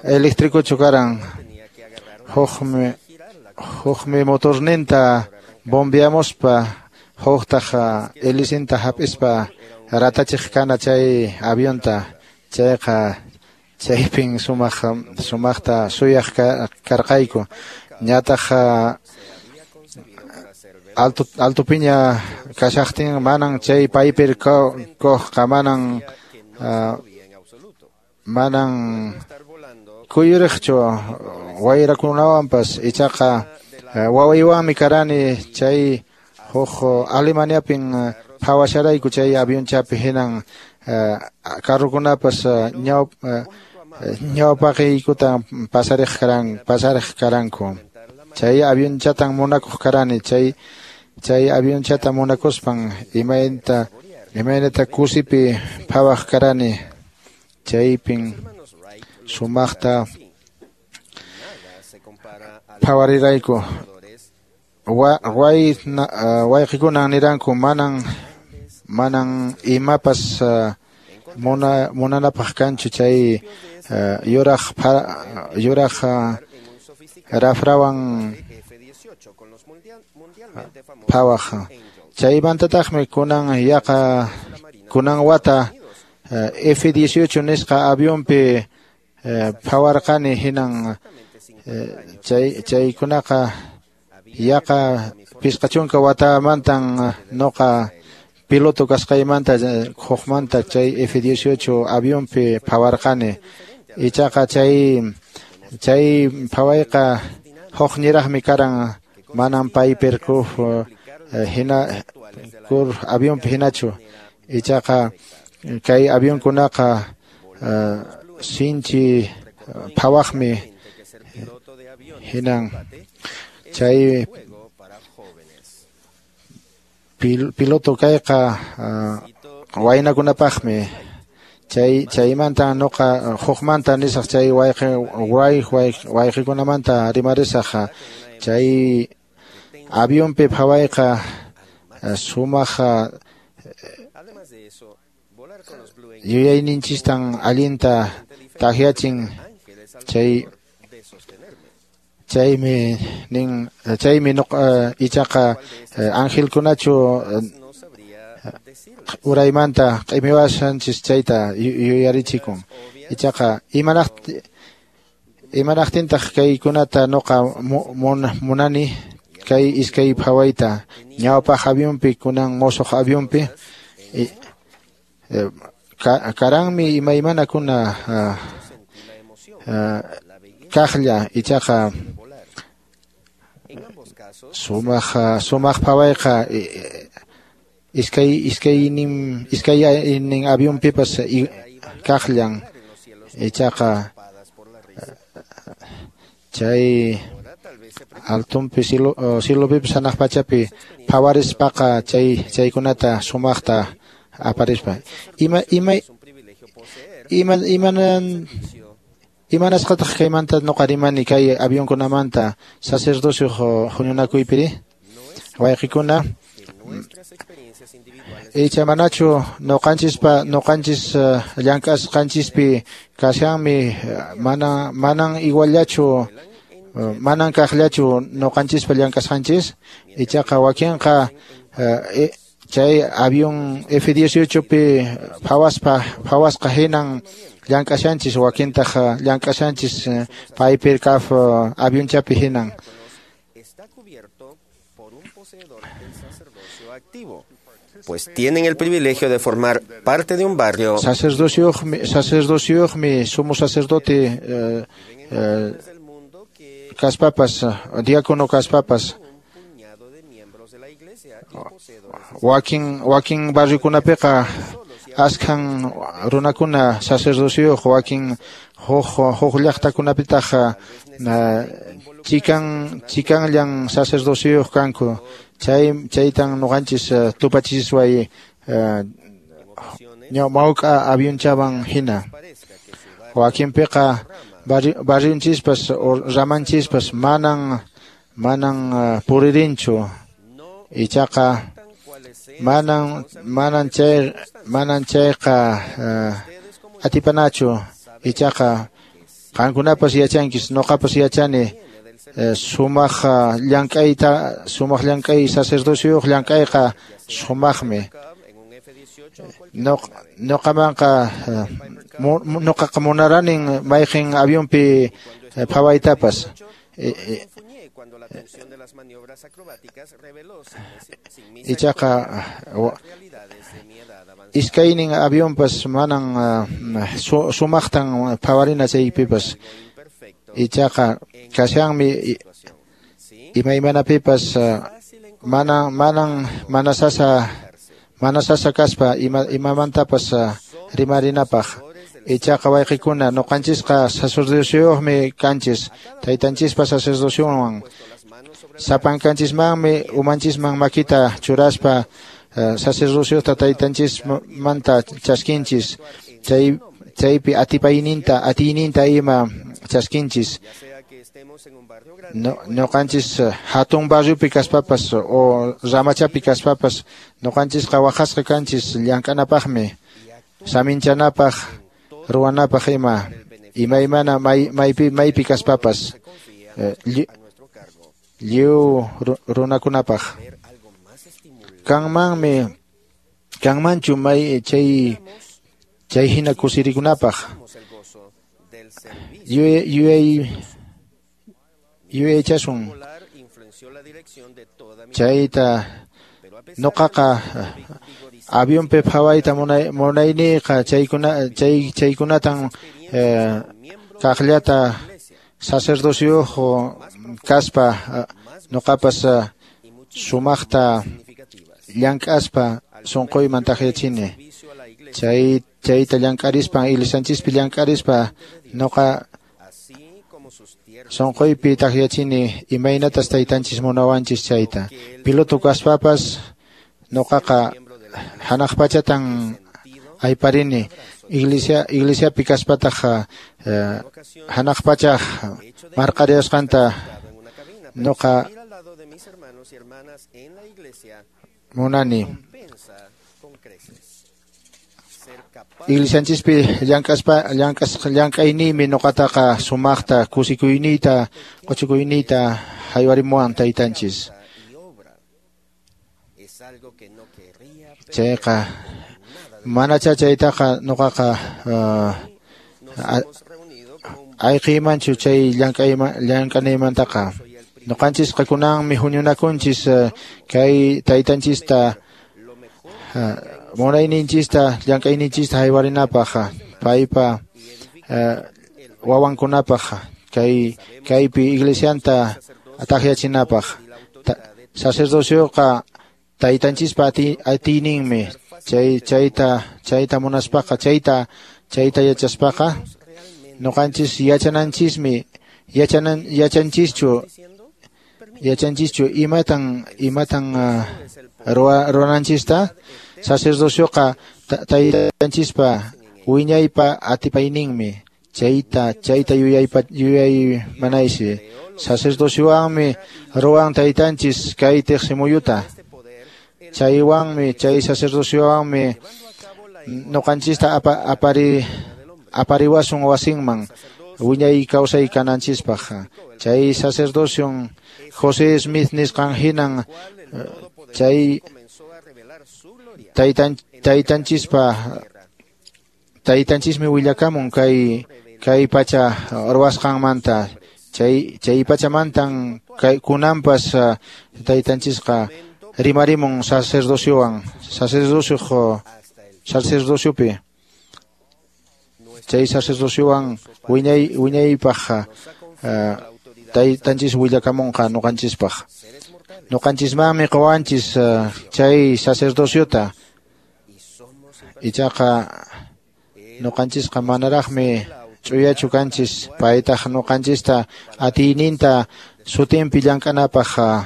eléctricochu karan hukmi hukmi motorninta bombeamuspa huktaq uh, helicinta hap'ispa ratachiq kana chay avionta chayqa chaypin sumaq sumaqta suyaq karqayku ñataq alto altopiña kashaqtin manan chay Piper Cubqa manan uh, manan kuyuriqchu wayrakunawanpas ichaqa uh, wawaywanmi karani chay huk Alemaniapin phawasharayku chay avionchapi hinan uh, carrokunapas uh, ñaw uh, ñawpaqiykuta pasariq karan pasariq karanku chay avionchatan munakuq karani chay chay avionchata munakuspan imaynata imaynata kusipi phawaq karani chaypin sumaqta phawarirayku way wayqikunan niranku manan manan imapas uh, muna munanapaq kanchu chay uh, yuraq yuraq uh, rafrawan phawaq chaymantataqmi kunan yaqa kunan wata uh, F dieciocho nisqa avionpi uh, phawarqani hinan uh, chay chaykunaqa yaqa pisqa chunka watamantan nuqa piloto kasqaymanta hukmanta chay F dieciocho avionpi phawarqani ichaqa chay chay phawayqa huk niraqmi karan manan Piper Cub hina kur avionpi hinachu ichaqa kay avionkunaqa uh, sinchi phawaqmi hinan chay pil, piloto kayqa uh, waynakunapaqmi chay chaymanta nuqa hukmanta nisaq chay wayqi way wayqikunamanta rimarisaq chay avionpi phawayqa sumaq yuyayninchistan allinta takyachin chay chaymi nin chaymi nuqa ichaqa angelkunachu uraymanta q'imiwashanchis chayta yuyarichikun ichaqa imanaq imanaqtintaq kaykunata nuqa munani kay iskay phawayta ñawpaq avionpi kunan musuq avionpi karanmi imaymanakuna uh, uh, kaqlla ichaqa sumaq sumaq phawayqa iskay iskaynin iskaynin avionpipas kaqllan ichaqa chay altonpi cielo cielopipas hanaq pachapi phawarispaqa chay chaykunata sumaqta aparispa ima ima ima imanan imanasqataq kaymanta nuqa rimani kay avionkunamanta sacerdocio huñunakuypiri wayqikuna icha manachu nuqanchispa nuqanchis uh, llank'asqanchispi kashanmi mana manan iguallachu uh, manan kaqllachu nuqanchispa llank'asqanchis ichaqa wakinqa uh, e, chay avión F dieciocho pi phawaspa phawasqa hinan llank'ashanchis wakintaq llank'ashanchis Piper Cub avionchapi hinan. Pues tienen el privilegio de formar parte de un barrio. Sacerdocioqmi, sacerdocioqmi, sumo sacerdote eh, eh, kaspapas, diácono kaspapas. Wakin wakin barriokunapiqa askhan runakuna sacerdocioq, wakin huk huk llaqtakunapitaq chikan chikanllan sacerdocioq kanku. Chay chaytan nuqanchis tupachisway mawk'a avionchawan hina. Wakinpiqa barrionchispas ramanchispas manan manan puririnchu. Ichaqa manan manan chay manan chayqa atipanachu. Ichaqa qankunapas yachankis, nuqapas yachani sumaq llank'ayta, sumaq llank'ay sacerdocioq llank'ayqa sumaqmi. Nuqamanqa nuqaqa munaranin mayqin avionpi phawaytapas. Ichaqa iskaynin avionpas manan sumaqtan phawarina chaypipas. Ichaqa kashanmi imaymanapipas manan manan mana sasa mana sasa kaspa ima imamantapas rimarinapaq. Ichaqa wayqikuna nuqanchisqa sacerdocioqmi kanchis, taytanchispa sacerdocionwan sapankanchismanmi umanchisman makita churaspa sacerdociota taytanchismanta chaskinchis, chay chaypi atipayninta atiyninta ima chaskinchis. No, nuqanchis hatun barriopi kaspapas o ramachapi kaspapas nuqanchisqa waqasqa kanchis llank'anapaqmi, saminchanapaq, ruwanapaq ima imaymana may, maypi maypi kaspapas lliw runakunapaq. Kanmanmi kanmanchu may chay chay hina kusirikunapaq. Yuyay yuyay yuyaychasun chayta. Nuqaqa avionpi phawayta munay munayniyqa chaykuna chay chaykunatan eh, kaqllata sacerdocioq kaspa nuqapas sumaqta llank'aspa sunquyman takyachini. Chay chayta llank'arispa iglesianchispi llank'arispa nuqa sunquypi takyachini imaynatas taytanchis munawanchis chayta. Piloto kaspapas nuqaqa hanaq pachatan ayparini. Iglesia iglesiapi kaspataq eh, hanaq pacha marqariasqanta nuqa munani. Iglesianchispi llank'aspa llank'as llank'ayniymi nuqataqa sumaqta kusikuyniyta quchikuyniyta haywarimuwan taytanchis. Chayqa manacha chaytaqa nuqaqa uh, ayqiymanchu chay llank'ayman llank'anaymantaqa. Nuqanchisqa kunanmi huñunakunchis uh, kay taytanchista uh, munayninchista llank'ayninchista haywarinapaq, paypa uh, wawankunapaq, kay kaypi iglesianta takyachinapaq. Sacerdocioqa taytanchispa atiyninmi. Chay chayta chayta munaspaqa, chayta chayta yachaspaqa nuqanchis yachananchismi yachanan yachanchischu yachanchischu imatan imatan uh, ruwananchista. Sacerdocioqa taytanchispa wiñaypa atipayninmi. Chayta chayta yuyaypa yuyaymanaysi. Sacerdociowanmi ruwan taytanchis kay tiqsimuyuta. Chaywanmi chay sacerdociowanmi nuqanchista apa, apari apariwasun wasinman wiñay kawsay kananchispaq. Chay sacerdocion José Smith nisqan hinan chay taytan taytanchispa taytanchismi willakamun kay kay pacha ruwasqanmanta. Chay chay pachamantan kay kunanpas uh, taytanchisqa rimarimun sacerdociowan, sacerdocio sacerdociopi. Chay sacerdociowan wiñay wiñaypaq uh, taytanchis willakamunqa ñuqanchispaq. Ñuqanchismanmi quwanchis uh, chay sacerdociota. Ichaqa ñuqanchisqa manaraqmi ch'uyachu kanchis, paytaq ñuqanchista atiyninta sutinpi llank'anapaq uh,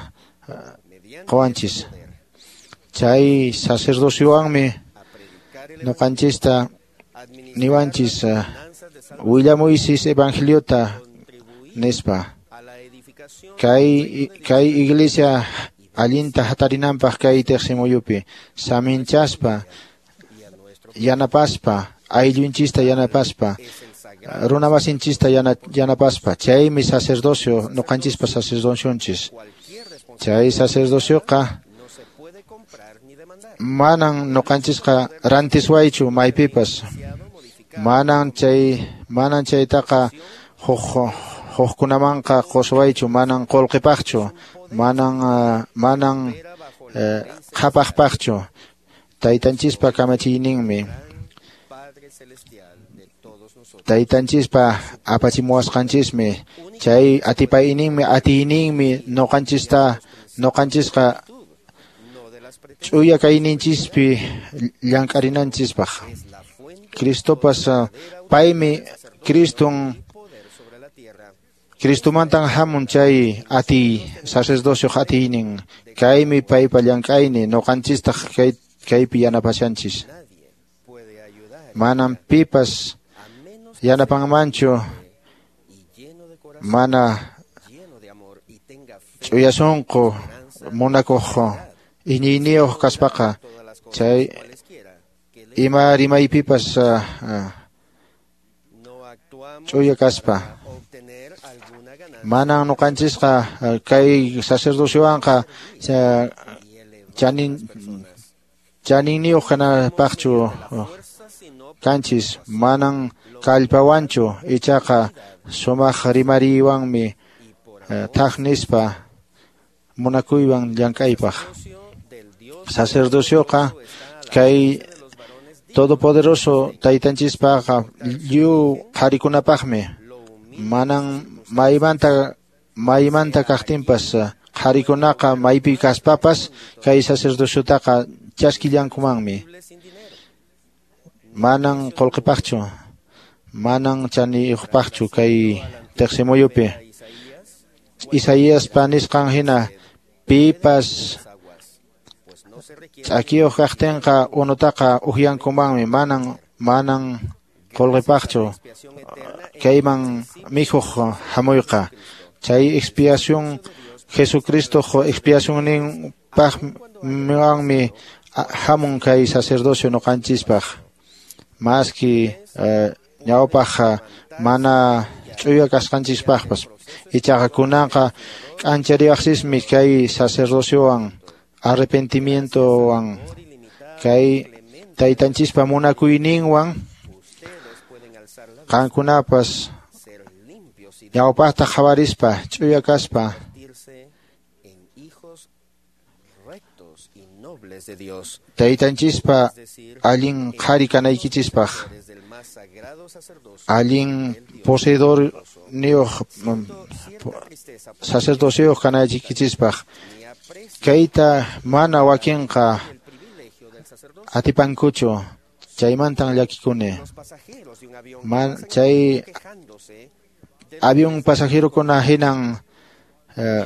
quwanchis. Chay sacerdociowanmi ñuqanchista niwanchis uh, willamuysis evangeliota nispa. Kay kay iglesia allinta hatarinanpaq kay tiqsimuyupi saminchaspa yanapaspa ayllunchista yanapaspa runamasinchista yana, yanapaspa. Chaymi sacerdocio ñuqanchispa sacerdocionchis. Chay sacerdocioqa manan ñuqanchisqa rantiswaychu maypipas. Manan chay manan chaytaqa huk hukkunamanqa quswaychu, manan qullqipaqchu, manan uh, manan uh, qhapaqpaqchu. Taytanchispa kamachiyninmi, taytanchispa apachimuwasqanchismi, chay atipayninmi atiyninmi ñuqanchista ñuqanchisqa ch'uya kayninchispi llank'arinanchispaq. Cristopas uh, paymi Criston Cristomantan hamun chay atiy sacerdocio atiynin. Kaymi paypa llank'ayni, ñuqanchistaq kay kaypi yanapashanchis. Manan pipas yanapanmanchu mana ch'uya sunqu munakuq iñiyniyuq kaspaqa. Chay ima rimaypipas uh, uh, ch'uya kaspa. Manan ñuqanchisqa uh, kay sacerdociowanqa uh, chanin chaninniyuq kanapaqchu uh, kanchis, manan kallpawanchu, ichaqa sumaq rimariywanmi uh, thaq nispa munakuywan llank'aypaq. Sacerdocioqa kay todopoderoso taytanchispaqa lliw qharikunapaqmi. Manan maymanta maymanta kaqtinpas qharikunaqa maypi kaspapas kay sacerdociotaqa chaskillankumanmi. Manan qullqipaqchu, manan chaniyuqpaqchu kay tiqsimuyupi. Isaíaspa nisqan hina pipas ch'akiyuq kaqtinqa unutaqa upyankumanmi, manan manan qullqipaqchu kayman mikhuq hamuyqa. Chay expiación Jesucristo expiacionninpaqwanmi hamun kay sacerdocio ñuqanchispaq. Maski ñawpaq mana ch'uya kasqanchispaqpas, ichaqa kunanqa k'anchariwaqsismi kay sacerdociowan arrepentimientowan kay taytanchispa munakuyninwan qankunapas ñawpaqta qhawarispa ch'uya kaspa taytanchispa allin qhari kanaykichispaq, allin poseedor niyuq sacerdocioyuq kanaykichispaq. Kayta mana wakinqa atipankuchu, chaymantan llakikuni. Man, chay avión pasajerokuna hinan eh,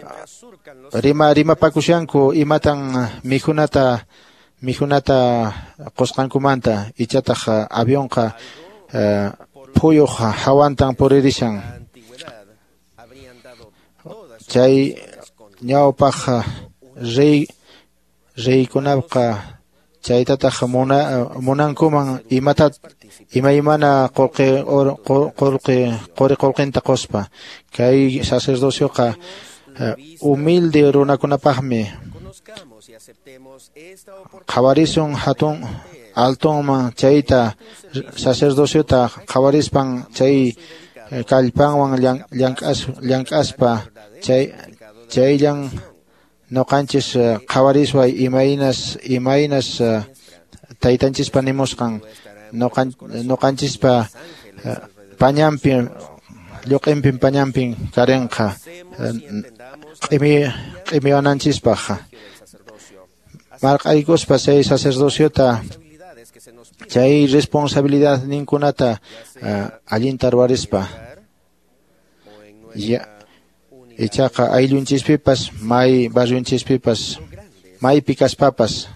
rima rimapakushanku imatan mikhunata mikhunata qusqankumanta, ichataq avionqa eh, phuyuq hawantan puririshan. Chay ñawpaq rey reykunaqa chaytataq muna munankuman imata imaymana qullqi qullqi quri qullqinta quspa. Kay sacerdocioqa humilde runakunapaqmi. Qhawarisun hatun altonman chayta sacerdociota qhawarispan chay kallpanwan llank'aspa chay chayllan noqanchis qhawarisway imaynas imaynas taytanchispa nimusqan noqan noqanchispa pañanpi lluq'inpin pañanpin karinqa q'imi q'imiwananchispaq marq'aykuspa chay sacerdociota chay responsabilidad ninkunata allinta ruwarispa ya ichaqa ayllunchispipas may barriunchispipas maypi kaspapas.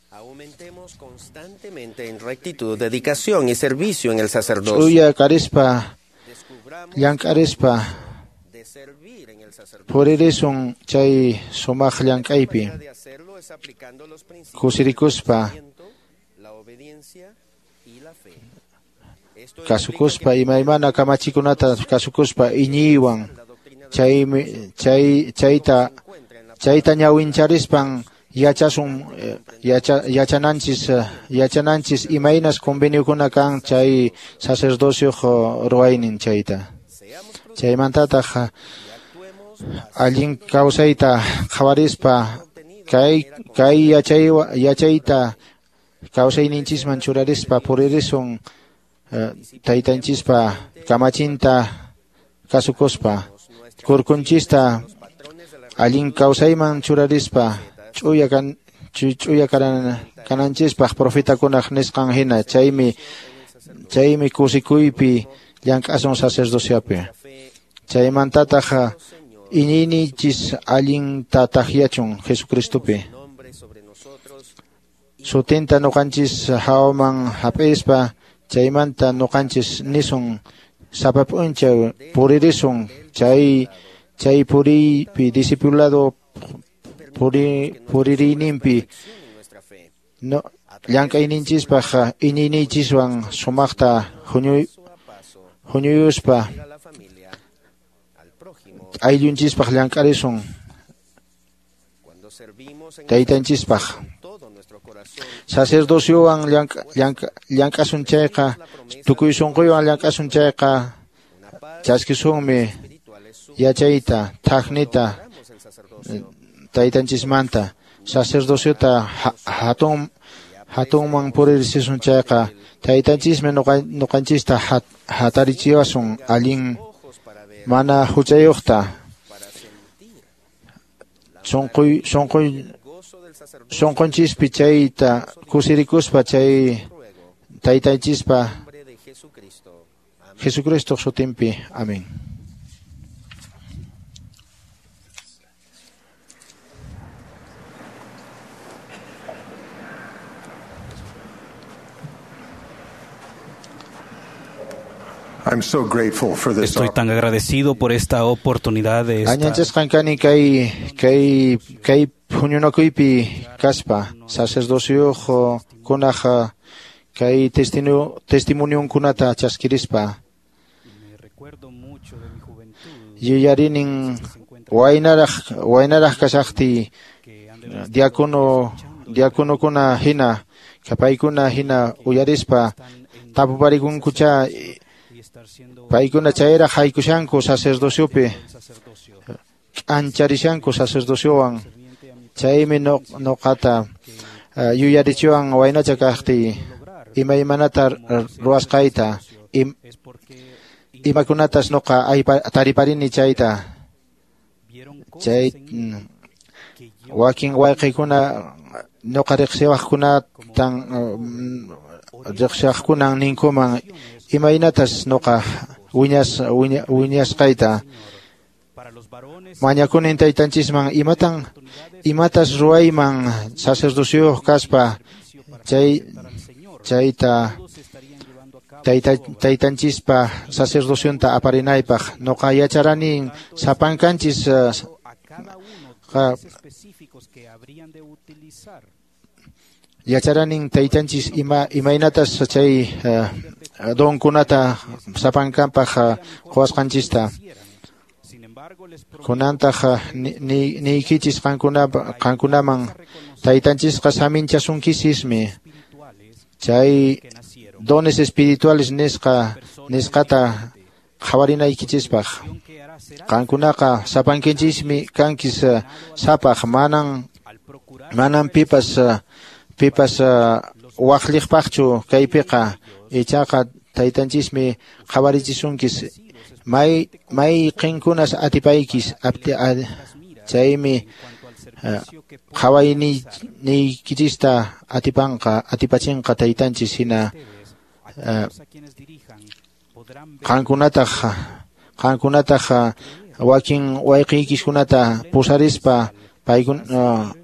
Aumentemos constantemente en rectitud, dedicación y servicio en el sacerdocio. Ch'uya karispa llank'arispa puririsun chay sumaq llank'aypi kusirikuspa kasukuspa imaymana kamachikunata kasukuspa iñiywan chaymi chay chayta chayta ñawincharispan yachasun yacha yachananchis yachananchis imaynas conveniokuna kan chay sacerdocio ruwaynin chayta chaymantataq allin kawsayta qhawarispa kay kay yachay yachayta kawsayninchisman churarispa puririsun taytanchispa kamachinta kasukuspa kurkunchista allin kawsayman churarispa ch'uya kan ch'uya karan kananchispaq profetakunaq nisqan hina chaymi chaymi kusikuypi llank'asun sacerdociopi chaymantataq iñiyninchis allinta takyachun Jesucristopi sutinta nuqanchis hawaman hap'ispa chaymanta nuqanchis nisun sapa p'unchaw puririsun chay chay puriypi discipulado puri puririyninpi no llank'ayninchispaq iñiyninchiswan sumaqta huñuy huñuyuspa ayllunchispaq llank'arisun taytanchispaq sacerdociowan llank'asun chayqa tukuy sunquywan llank'asun chayqa chaskisunmi yachayta thaqnita taytanchismanta sacerdociota hatun hatunman puririsun chayqa taytanchismi nuqanchista hatarichiwasun allin mana huchayuqta sunquy sunquy sunqunchispi chayta kusirikuspa chay taytanchispa Jesucristo sutinpi. Amén. I'm so grateful for this. Estoy tan agradecido por esta oportunidad de esta... Añanchasqan kani kay kay kay huñunakuypi kaspa sacerdocioq kunaq kay testimonio testimonionkunata chaskirispa yuyarinin waynaraq waynaraq kashaqtiy diácono diaconokuna hina paykuna hina uyarispa tapuparikunkucha paykuna chayraq haykushanku sacerdociopi k'ancharishanku sacerdociowan chaymi noqata yuyarichiwan waynacha kaqtiy imaymanata ruwasqayta imakunatas noqa tariparini chayta chay wakin wayqikuna noqa riqsiwaqkunatan riqsiwaqkunan ninkuman imaynatas noqa wiñas wiñasqayta mañakunin taytanchisman imatan imatas ruwayman sacerdocioyuq kaspa chay chayta tayta taytanchispa sacerdocionta aparinaypaq noqa yacharani sapankanchis yacharanin taytanchis ima imaynatas chay donkunata sapankanpaq quwasqanchista kunantaq niykichis qankunaman taytanchisqa saminchasunkisismi chay dones espirituales nisqa nisqata qhawarinaykichispaq. Qankunaqa sapankinchismi kankis sapaq, manan manan pipas pipas waqlliqpaqchu kaypiqa, ichaqa taytanchismi qhawarichisunkis may mayqinkunas atipaykis chaymi qhawayniykichista atipanqa atipachinqa taytanchis hina qankunataq qankunataq wakin wayqiykiskunata pusarispa paykun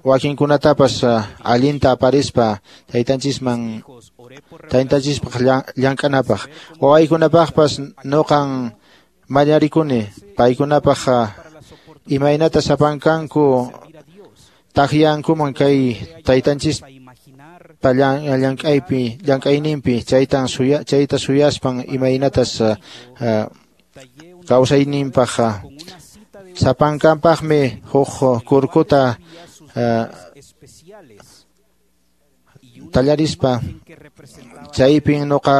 wakinkunatapas allinta aparispa taytanchisman taytanchispaq llank'anapaq. Wawaykunapaqpas nuqan mañarikuni paykunapaq imaynata sapankanku takyankuman kay taytanchispa llank'aypi llank'ayninpi chaytan suya chayta suyaspan imaynatas kawsayninpaq sapankanpaqmi huk kurkuta tallarispa chaypin nuqa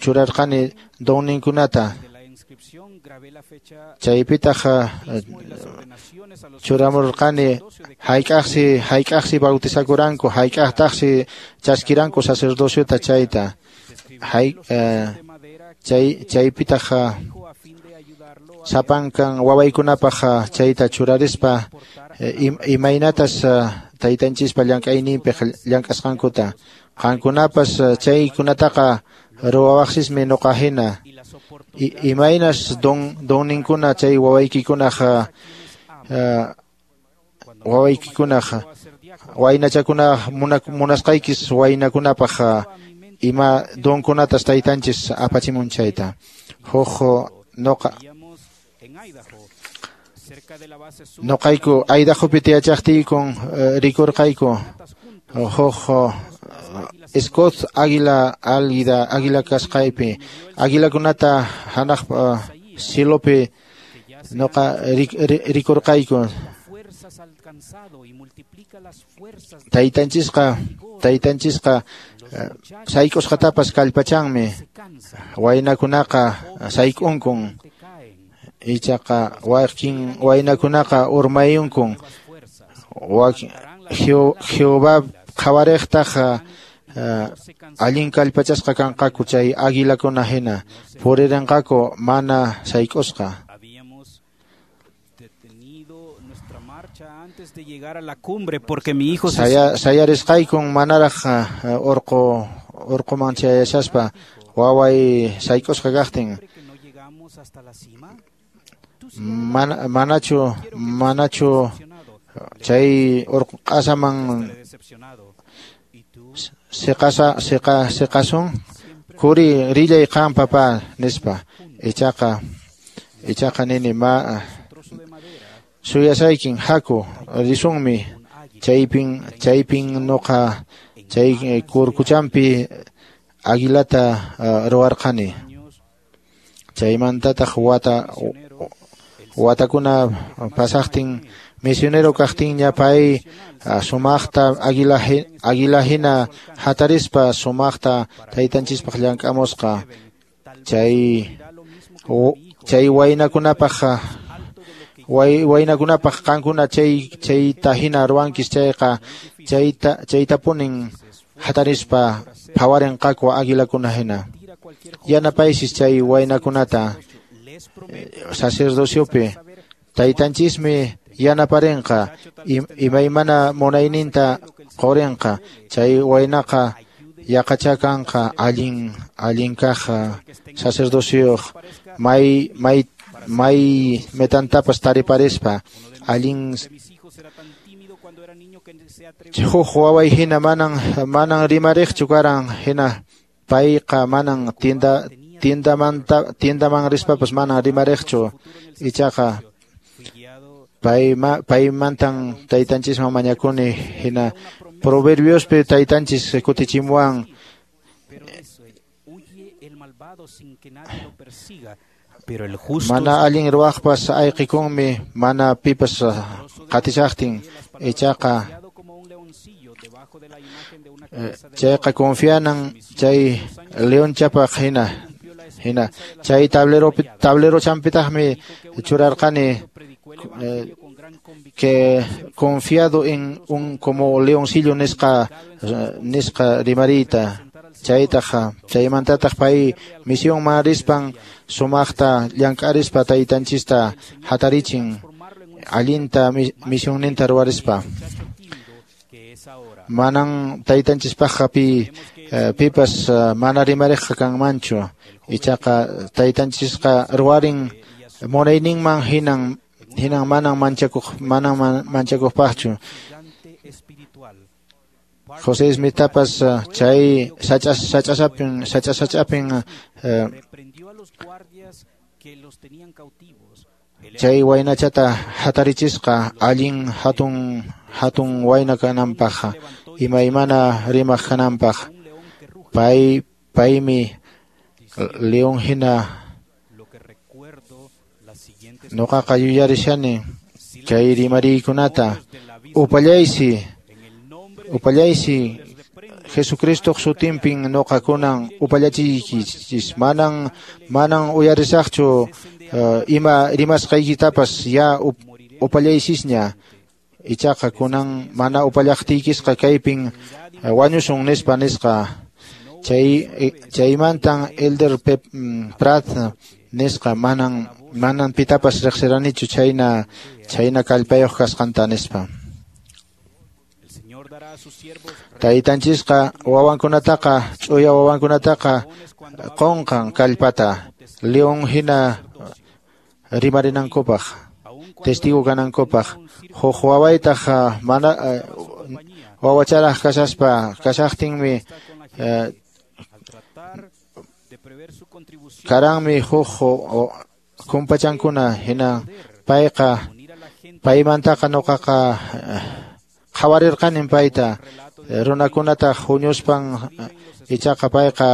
churarqani donninkunata chaypitaq churamurqani hayk'aqsi hayk'aqsi bautizakuranku hayk'aqtaqsi chaskiranku sacerdociota chayta hay chay chaypitaq sapankan wawaykunapaq chayta churarispa imaynatas taytanchispa llank'ayninpi llank'asqankuta. Qankunapas chaykunataqa ruwawaqsismi nuqa hina imaynas don donninkuna chay wawaykikunaq wawaykikunaq waynachakuna munasqaykis waynakunapaq ima donkunatas taytanchis apachimun chayta. Huk nuqa nuqayku Idahopi tiyachaqtiykun rikurqayku huk Scott águila águila águila kasqaypi águilakunata hanaq cilopi nuqa rikurqayku. Taytanchisqa taytanchisqa sayk'usqatapas kallpachanmi waynakunaqa sayk'unkun ichaqa wakin waynakunaqa urmayunkun wakin Jehová qhawariqtaq allin kallpachasqa kanqaku chay águilakuna hina puririnqaku mana sayk'usqa. Sayarisqaykun manaraq urqu urquman chayashaspa waway sayk'usqa kaqtin mana manachu manachu chay urqu q'asaman siqasa siqa siqasun kuri rillay qan papá nispa ichaqa ichaqa nini ma suyasaykin haku risunmi chaypin chaypin nuqa chay kurkuchampi águilata ruwarqani chaymantataq wata watakuna pasaqtin misionero kaqtinña pay sumaqta águila águila hina hatarispa sumaqta taytanchispaq llank'amusqa chay chay waynakunapaq waynakunapaq qankuna chay chayta hina ruwankis chayqa chayta chaytapunin hatarispa phawarinqaku águilakuna hina. Yanapaysis chay waynakunata sacerdociopi taytanchismi yanaparinqa imaymana munayninta qurinqa chay waynaqa yaqachakanqa allin allin kaq sacerdocioq may may may metantapas tariparispa allin huk waway hina manan manan rimariqchu karan hina payqa manan tienda tiendamanta tiendaman rispapas manan rimariqchu ichaqa payma paymantan taytanchisman mañakuni hina Proverbiospi taytanchis kutichimuwan mana allin ruwaqpas ayqikunmi mana pipas qatishaqtin ichaqa Chayqa confianan chay leonchapaq hina hina chay tablero tablero champitaqmi churarqani eh, que confiado en un como leoncillo nisqa nisqa rimarita chaytaq chaymantataq pay misionman rispan sumaqta llank'arispa taytanchista hatarichin allinta misionninta ruwarispa. Manan taytanchispaqqa pi pipas mana rimariqqa kanmanchu, ichaqa taytanchisqa ruwarin munayninman hinan hinan manan manchakuq manan manchakuqpaqchu. José Smithtapas chay sach'as sach'asapin sach'asach'apin chay waynachata hatarichisqa allin hatun hatun wayna kananpaq imaymana rimaq kananpaq. Pay paymi león hina nuqaqa yuyarishani kay rimariykunata upallaysi upallaysi Jesucristoq sutinpin nuqakunan upallachiykichis manan manan uyarisaqchu uh, ima rimasqaykitapas ya up, upallaysisña ichaqa kunan mana upallaqtiykisqa kaypin uh, wañusun nispa nisqa. Chay chaymantan Elder Pep Pratt nisqa manan manan pitapas riqsiranichu chayna chayna kallpayuq kasqanta nispa. Taytanchisqa wawankunataqa ch'uya wawankunataqa qunqan kallpata león hina rimarinankupaq testigo kanankupaq. Huk wawaytaq mana wawacharaq kashaspa kashaqtinmi karanmi huk kumpachankuna hina payqa paymantaqa nuqaqa qhawarirqanin payta runakunata huñuspan ichaqa payqa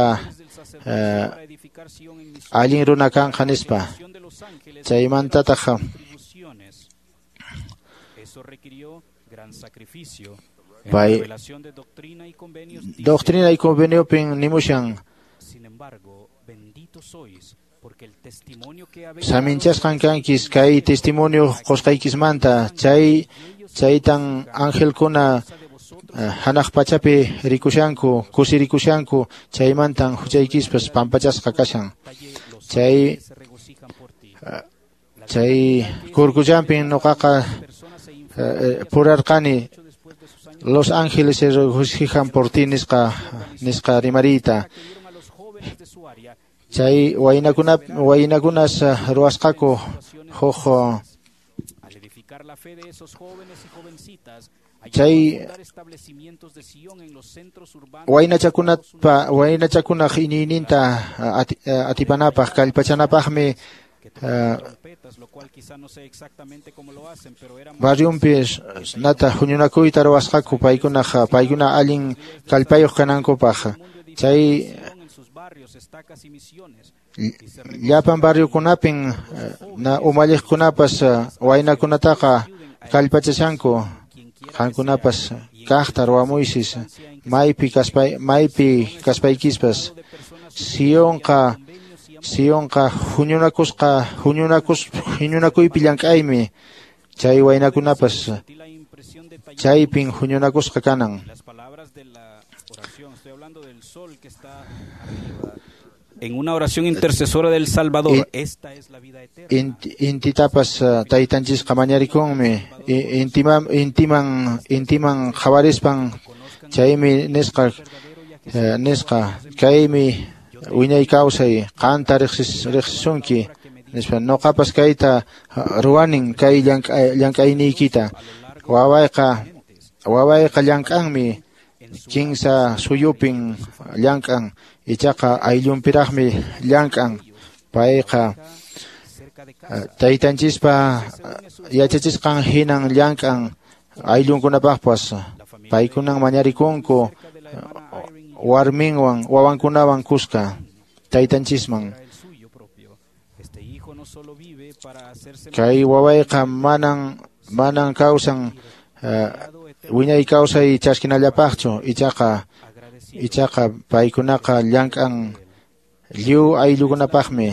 allin runa kanqa nispa. Chaymantataq pay doctrina y conveniopin nimushan saminchasqan kankis kay testimonio qusqaykismanta chay chaytan angelkuna hanaq pachapi rikushanku kusirikushanku chaymantan huchaykispas pampachasqa kashan. Chay chay kurkullampin nuqaqa purarqani los ángeles se regocijan por ti nisqa nisqa rimariyta. Chay waynakuna waynakunas ruwasqaku huk chay waynachakunapa waynachakunaq iñiyninta atipanapaq kallpachanapaqmi barriunpi nata huñunakuyta ruwasqaku paykunaq paykuna allin kallpayuq kanankupaq. Chay llapan barriokunapin na umalliqkunapas waynakunataqa kallpachashanku qankunapas kaqta ruwamuysis maypi kaspay maypi kaspaykispas. Sionqa Sionqa huñunakusqa huñunakus huñunakuypi llank'aymi chay waynakunapas chaypin huñunakusqa kanan. En una oración intercesora del Salvador, esta es la vida eterna. Intitapas taytanchisqa mañarikunmi intiman intiman intiman qhawarispan chaymi nisqa nisqa kaymi wiñay kawsay qanta riqsisunki nispa nuqapas kayta ruwanin kay llank'ayniykita wawayqa wawayqa llank'anmi kinsa suyupin llank'an ichaqa ayllunpiraqmi llank'an payqa taytanchispa yachachisqan hinan llank'an ayllunkunapaqpas paykunan mañarikunku warminwan wawankunawan kuska taytanchisman. Kay wawayqa manan manan kawsan uh, wiñay kawsay chaskinallapaqchu, ichaqa ichaqa paykunaqa llank'an lliw ayllukunapaqmi.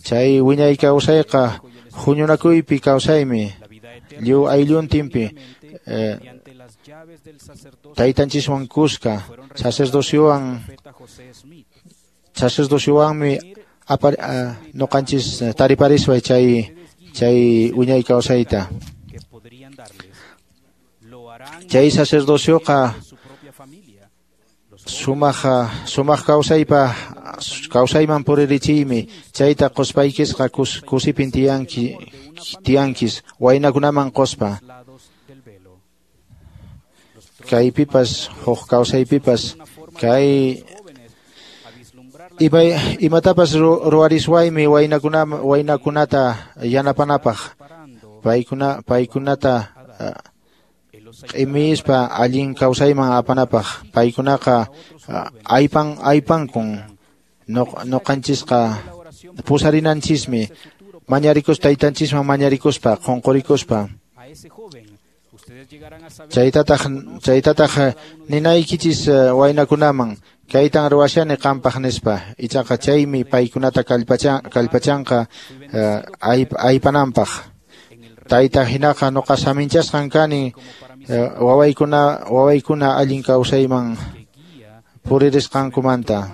Chay wiñay kawsayqa huñunakuypi kawsaymi, lliw aylluntinpi eh, taytanchiswan kuska sacerdociowan sacerdociowanmi apar, uh, noqanchis tariparisway chay chay wiñay kawsayta. Chay sacerdocioqa sumaq sumaq kawsaypa kawsayman puririchiymi, chayta quspaykisqa kus, kusipin tiyanki tiyankis waynakunaman quspa. Kaypipas huk kawsaypipas kay imay, imatapas ruwariswaymi waynakuna waynakunata yanapanapaq, paykuna paykunata uh, q'imispa allin kawsayman apanapaq. Paykunaqa uh, aypan aypankun noqanchisqa pusarinanchismi mañarikus taytanchisman mañarikuspa qunqurikuspa. Chaytataq chaytataq ninaykichis waynakunaman kaytan ruwashani qampaq nispa, ichaqa chaymi paykunata kallpacha kallpachanqa uh, aypananpaq. Tayta hinaqa noqa saminchasqan kani uh, wawaykuna wawaykuna allin kawsayman puririsqankumanta.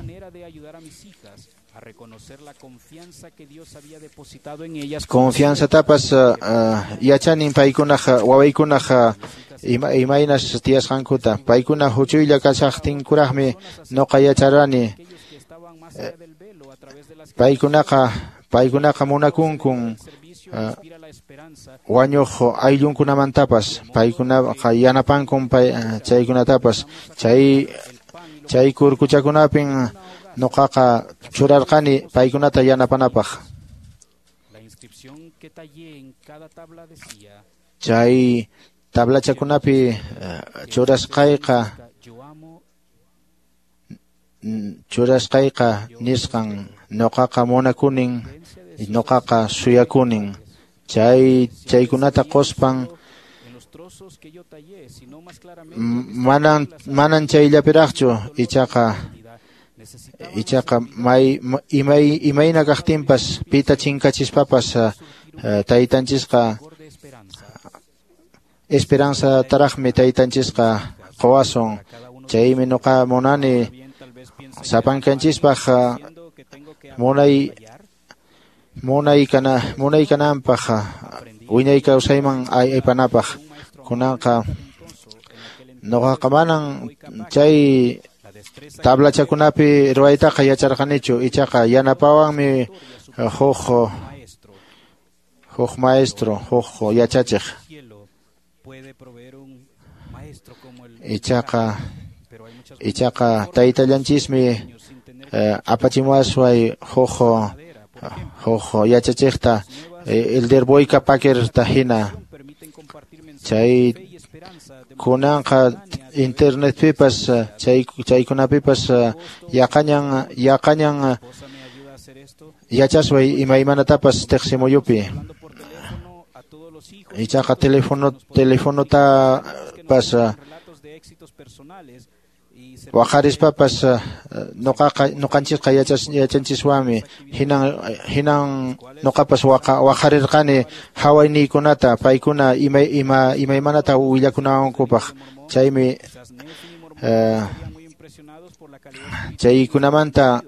Confianzatapas uh, yachanin paykunaq wawaykunaq ima, imaynas tiyasqankuta. Paykuna huchuylla kashaqtinkuraqmi noqa yacharani. Paykunaqa paykunaqa munakunkun uh, wañuq ayllunkunamantapas, paykunaqa yanapankun pay, chaykunatapas. Chay chay kurkuchakunapin noqaqa churarqani paykunata yanapanapaq. Chay tablachakunapi churasqayqa churasqayqa nisqan noqaqa munakunin, noqaqa suyakunin. Chay chaykunata quspan manan manan chayllapiraqchu, ichaqa ichaqa may imay imayna kaqtinpas pita chinkachispapas uh, taytanchisqa esperanza taraqmi taytanchisqa quwasun. Chaymi noqa munani sapankanchispaq uh, munay munay kana munay kananpaq wiñay kawsayman aypanapaq. Kunanqa noqaqa manan chay tablachakunapi ruwaytaqa yacharqanichu, ichaqa yanapawanmi huk huk maestro, huk yachachiq. Ichaqa ichaqa taytallanchismi eh, apachimuwasway huk huk yachachiqta, Elder Boyka Packer-ta hina. Chay kunanqa internetpipas chay chaykunapipas yaqañan yaqañan yachasway imaymanatapas tiqsimuyupi. Ichaqa telefono telefonotapas waqarispapas noqaqa noqanchisqa yachas yachanchiswanmi. Hinan hinan noqapas waqa waqarirqani hawayniykunata paykuna ima ima imaymanata willakunawankupaq. Chaymi uh, chaykunamanta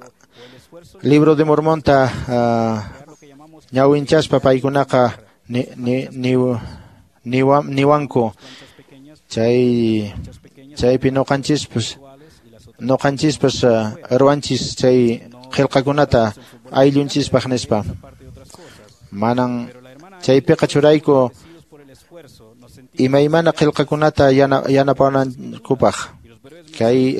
Libro de Mormonta uh, ñawinchaspa paykunaqa ni ni ni niwanku. Chay chaypi noqanchispas noqanchispas uh, ruwanchis chay qillqakunata ayllunchispaq nispa. Manan chaypiqa churayku imaymana qillqakunata yana yanapanankupaq. Kay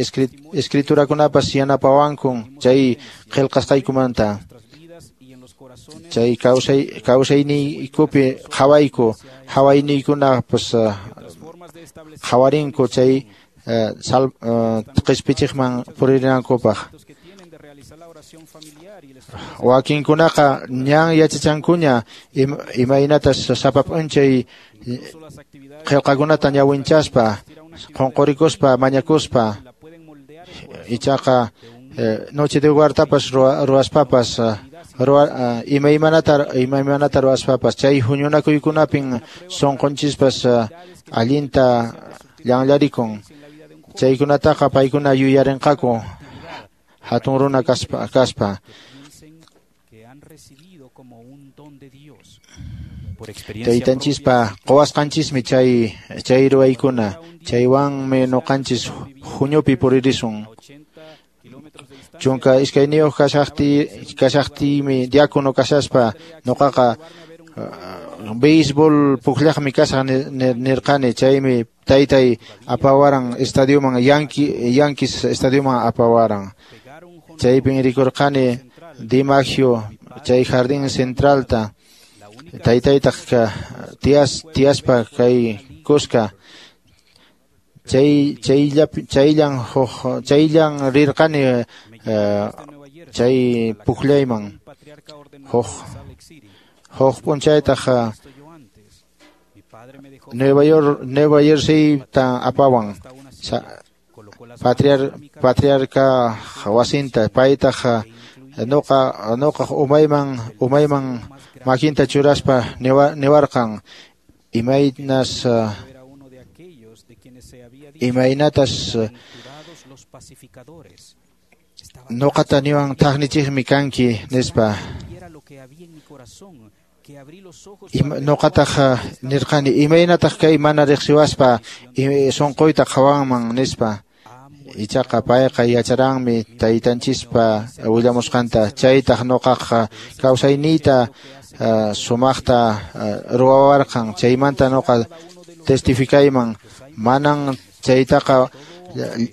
escriturakunapas yanapawankun chay qillqasqaykumanta. Chay kawsay kawsayniykupi qhawayku, hawayniykunapas uh, qhawarinku chay uh, sal uh, qispichiqman purinankupaq. Wakinkunaqa ñan yachachankuña imaynatas sapa p'unchay qillqakunata ñawinchaspa, qunqurikuspa, mañakuspa, ichaqa noche de huartapas ruwaspapas, ruwa imaymanata imaymanata ruwaspapas, chay huñunakuykunapin sunqunchispas allinta llanllarikun. Chaykunataqa paykuna yuyarinqaku hatun runa kaspa kaspa. Taytanchispa quwasqanchismi chay chay ruwaykuna, chaywanmi ñuqanchis huñupi puririsun. Chunka iskayniyuq kashaqti kashaqtiymi diácono kashaspa ñuqaqa béisbol pukllaqmi kasaq nirqani, chaymi taytay apawaran estadioman, Yankee Yankees estadioman apawaran. Chaypin rikurqani DiMaggio chay jardín centralta, taytaytaq tiyas tiyaspa kay kuska. Chay chayllapi chayllan huk chayllan rirqani chay pukllayman. Huk huk p'unchaytaq Nueva York Nueva Jersey ta apawan patriar patriarca wasinta, paytaq nuqa nuqa umayman umayman makinta churaspa niwarqan imaynas imaynatas nuqata niwan thaqnichiqmi kanki nispa. Nuqataq nirqani imaynataq kay mana riqsiwaspa sunquyta qhawanman nispa. Ichaqa payqa yacharanmi taytanchispa willamusqanta, chaytaq nuqaqa kawsayniyta sumaqta ruwawarqan, chaymanta nuqa testificayman manan chaytaqa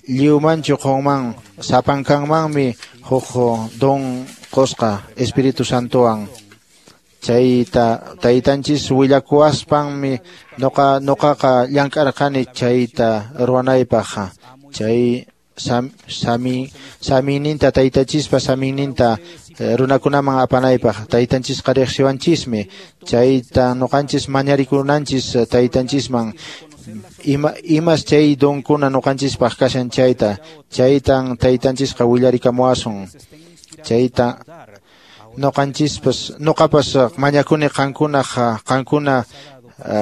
lliwmanchu qunman, sapankanmanmi huk don qusqa Espíritu Santowan. Chayta taytanchis willakuwaspanmi nuqa nuqaqa llank'arqani chayta ruwanaypaq. Chay sam, sami samininta taytanchispa samininta runakunaman apanaypaq. Taytanchisqa riqsiwanchismi, chayta nuqanchis mañarikunanchis taytanchisman ima imas chay donkuna nuqanchispaq kashan chayta, chaytan taytanchisqa willarikamuwasun. Chayta nuqanchispas nuqapas mañakuni qankunaq qankuna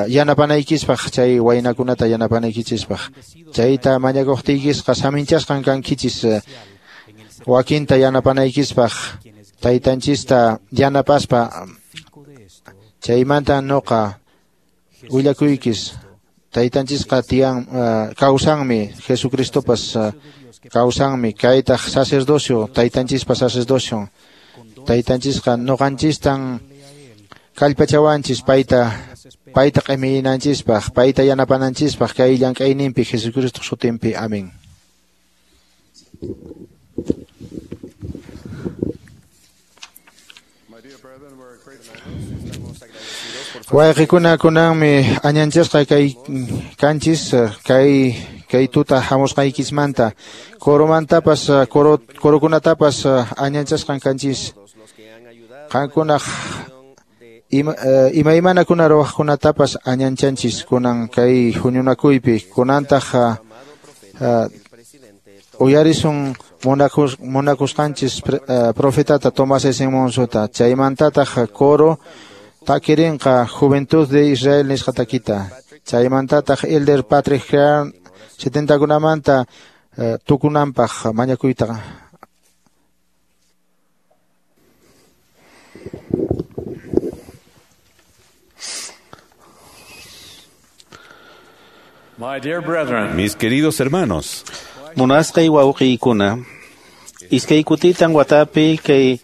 yanapanaykipaq, chay waynakunata yanapanaykichispaq. Chayta mañakuqtiykisqa saminchasqan kankichis wakinta yanapanaykipaq, taytanchista yanapaspa. Chaymanta nuqa willakuykis taytanchisqa tiyan kawsanmi, Jesucristopas kawsanmi, kaytaq sacerdocio, taytanchispa sacerdocio. Taytanchisqa nuqanchistan kallpachawanchis payta payta q'iminanchispaq, payta yanapananchispaq kay llank'ayninpi Jesucristo sutinpi. Amén. Wayqikuna kunanmi añanchasqa kay kanchis kay kay tuta hamusqaykismanta, coromantapas coro corokunatapas añanchasqan kanchis. Qankunaq ima imaymanakuna ruwaqkunatapas añanchanchis kunan kay huñunakuypi. Kunantaq uyarisun munakus munakusqanchis profetata Tomás S. Monsota, chaymantataq coro takirinqa Juventud de Israel nisqa takita, chaymantataq Elder Patrick Crean setentakunamanta tukunanpaq mañakuyta. My dear brethren, mis queridos hermanos, munasqay wawqiykuna, iskay kutitan watapi kay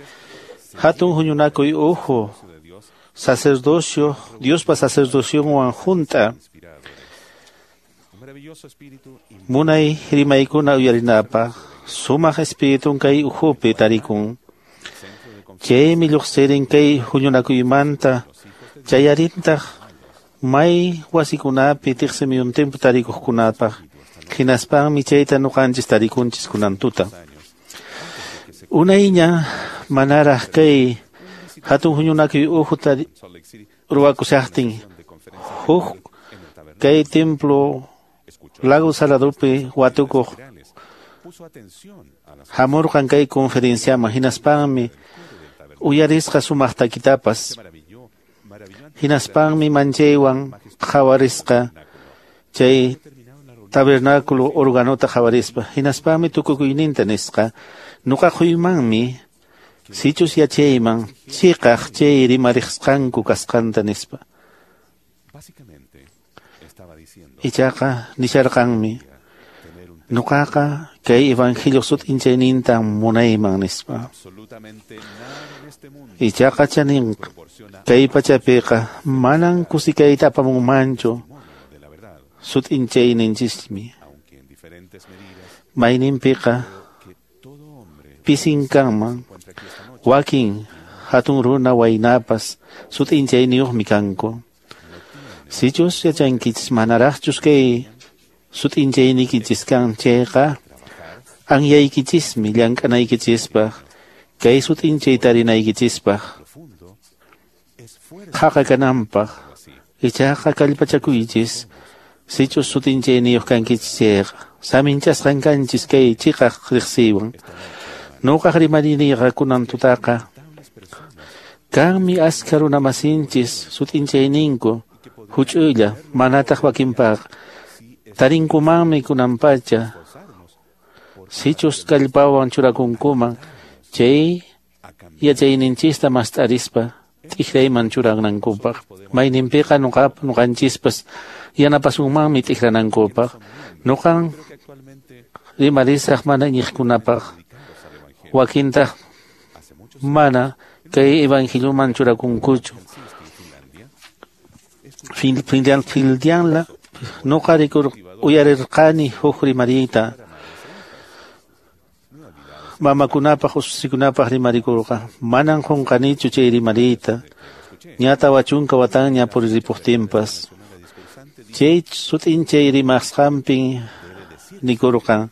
hatun huñunakuy uhu sacerdocio, Diospa sacerdocionwan junta munay rimaykuna uyarinapaq sumaq espiritun kay uhupi tarikun. Chaymi lluqsirin kay huñunakuymanta chayarintaq may wasikunapi tiqsimiyuntinpi tarikuqkunapaq, hinaspanmi chayta ñuqanchis tarikunchis kunan tuta. Unayña manaraq kay hatun huñunakuy uhu ruwakushaqtin huk Kay templo Lago Saladopi watukuq hamurqan kay conferenciaman, hinaspanmi uyarisqa sumaq takitapas, hinaspanmi manchaywan qhawarisqa chay tabernáculo organota qhawarispa, hinaspanmi tukukuyninta nisqa, nuqa quymanmi sichus yachayman chiqaq chay rimarisqanku kasqanta nispa. Ichaqa nisharqanmi, nuqaqa kay evangelio sut'inchayninta munayman nispa. Ichaqa chanin kay pachapiqa manan kusikayta apamunmanchu sut'inchayninchismi. Mayninpiqa pisin kanman wakin hatun runa waynapas sut'inchayniyuqmi kanku. Sichus yachankichis manaraqchus kay sut'inchaynikichis kan chayqa anyaykichismi llank'anaykichispaq kay sut'inchay tarinaykichispaq qhaqa kananpaq. Ichaqa kallpachakuychis sichus sut'inchayniyuq kankichis chayqa saminchasqan kanchis kay chiqaq riqsiywan. Nuqaq rimariniyqa kunan tutaqa kanmi askha runamasinchis sut'inchayninku huch'uylla manataq wakinpaq tarinkumanmi kunanpacha sichus kallpawan churakunkuman chay yachayninchista mast'arispa t'ikrayman churanankupaq. Mayninpiqa nuqap nuqanchispas yanapasunmanmi t'ikranankupaq. Nuqan rimarisaq mana iñiqkunapaq, wakintaq mana kay evangelioman churakunkuchu. Finlandia nuqa rikur uyarirqani huk rimariyta mamakunapaq ususikunapaq rimarikurqa. Manan qunqanichu chay rimariyta, ña tawa chunka watanña puriripuqtinpas. Chay sut'inchay rimasqanpin nikurqan,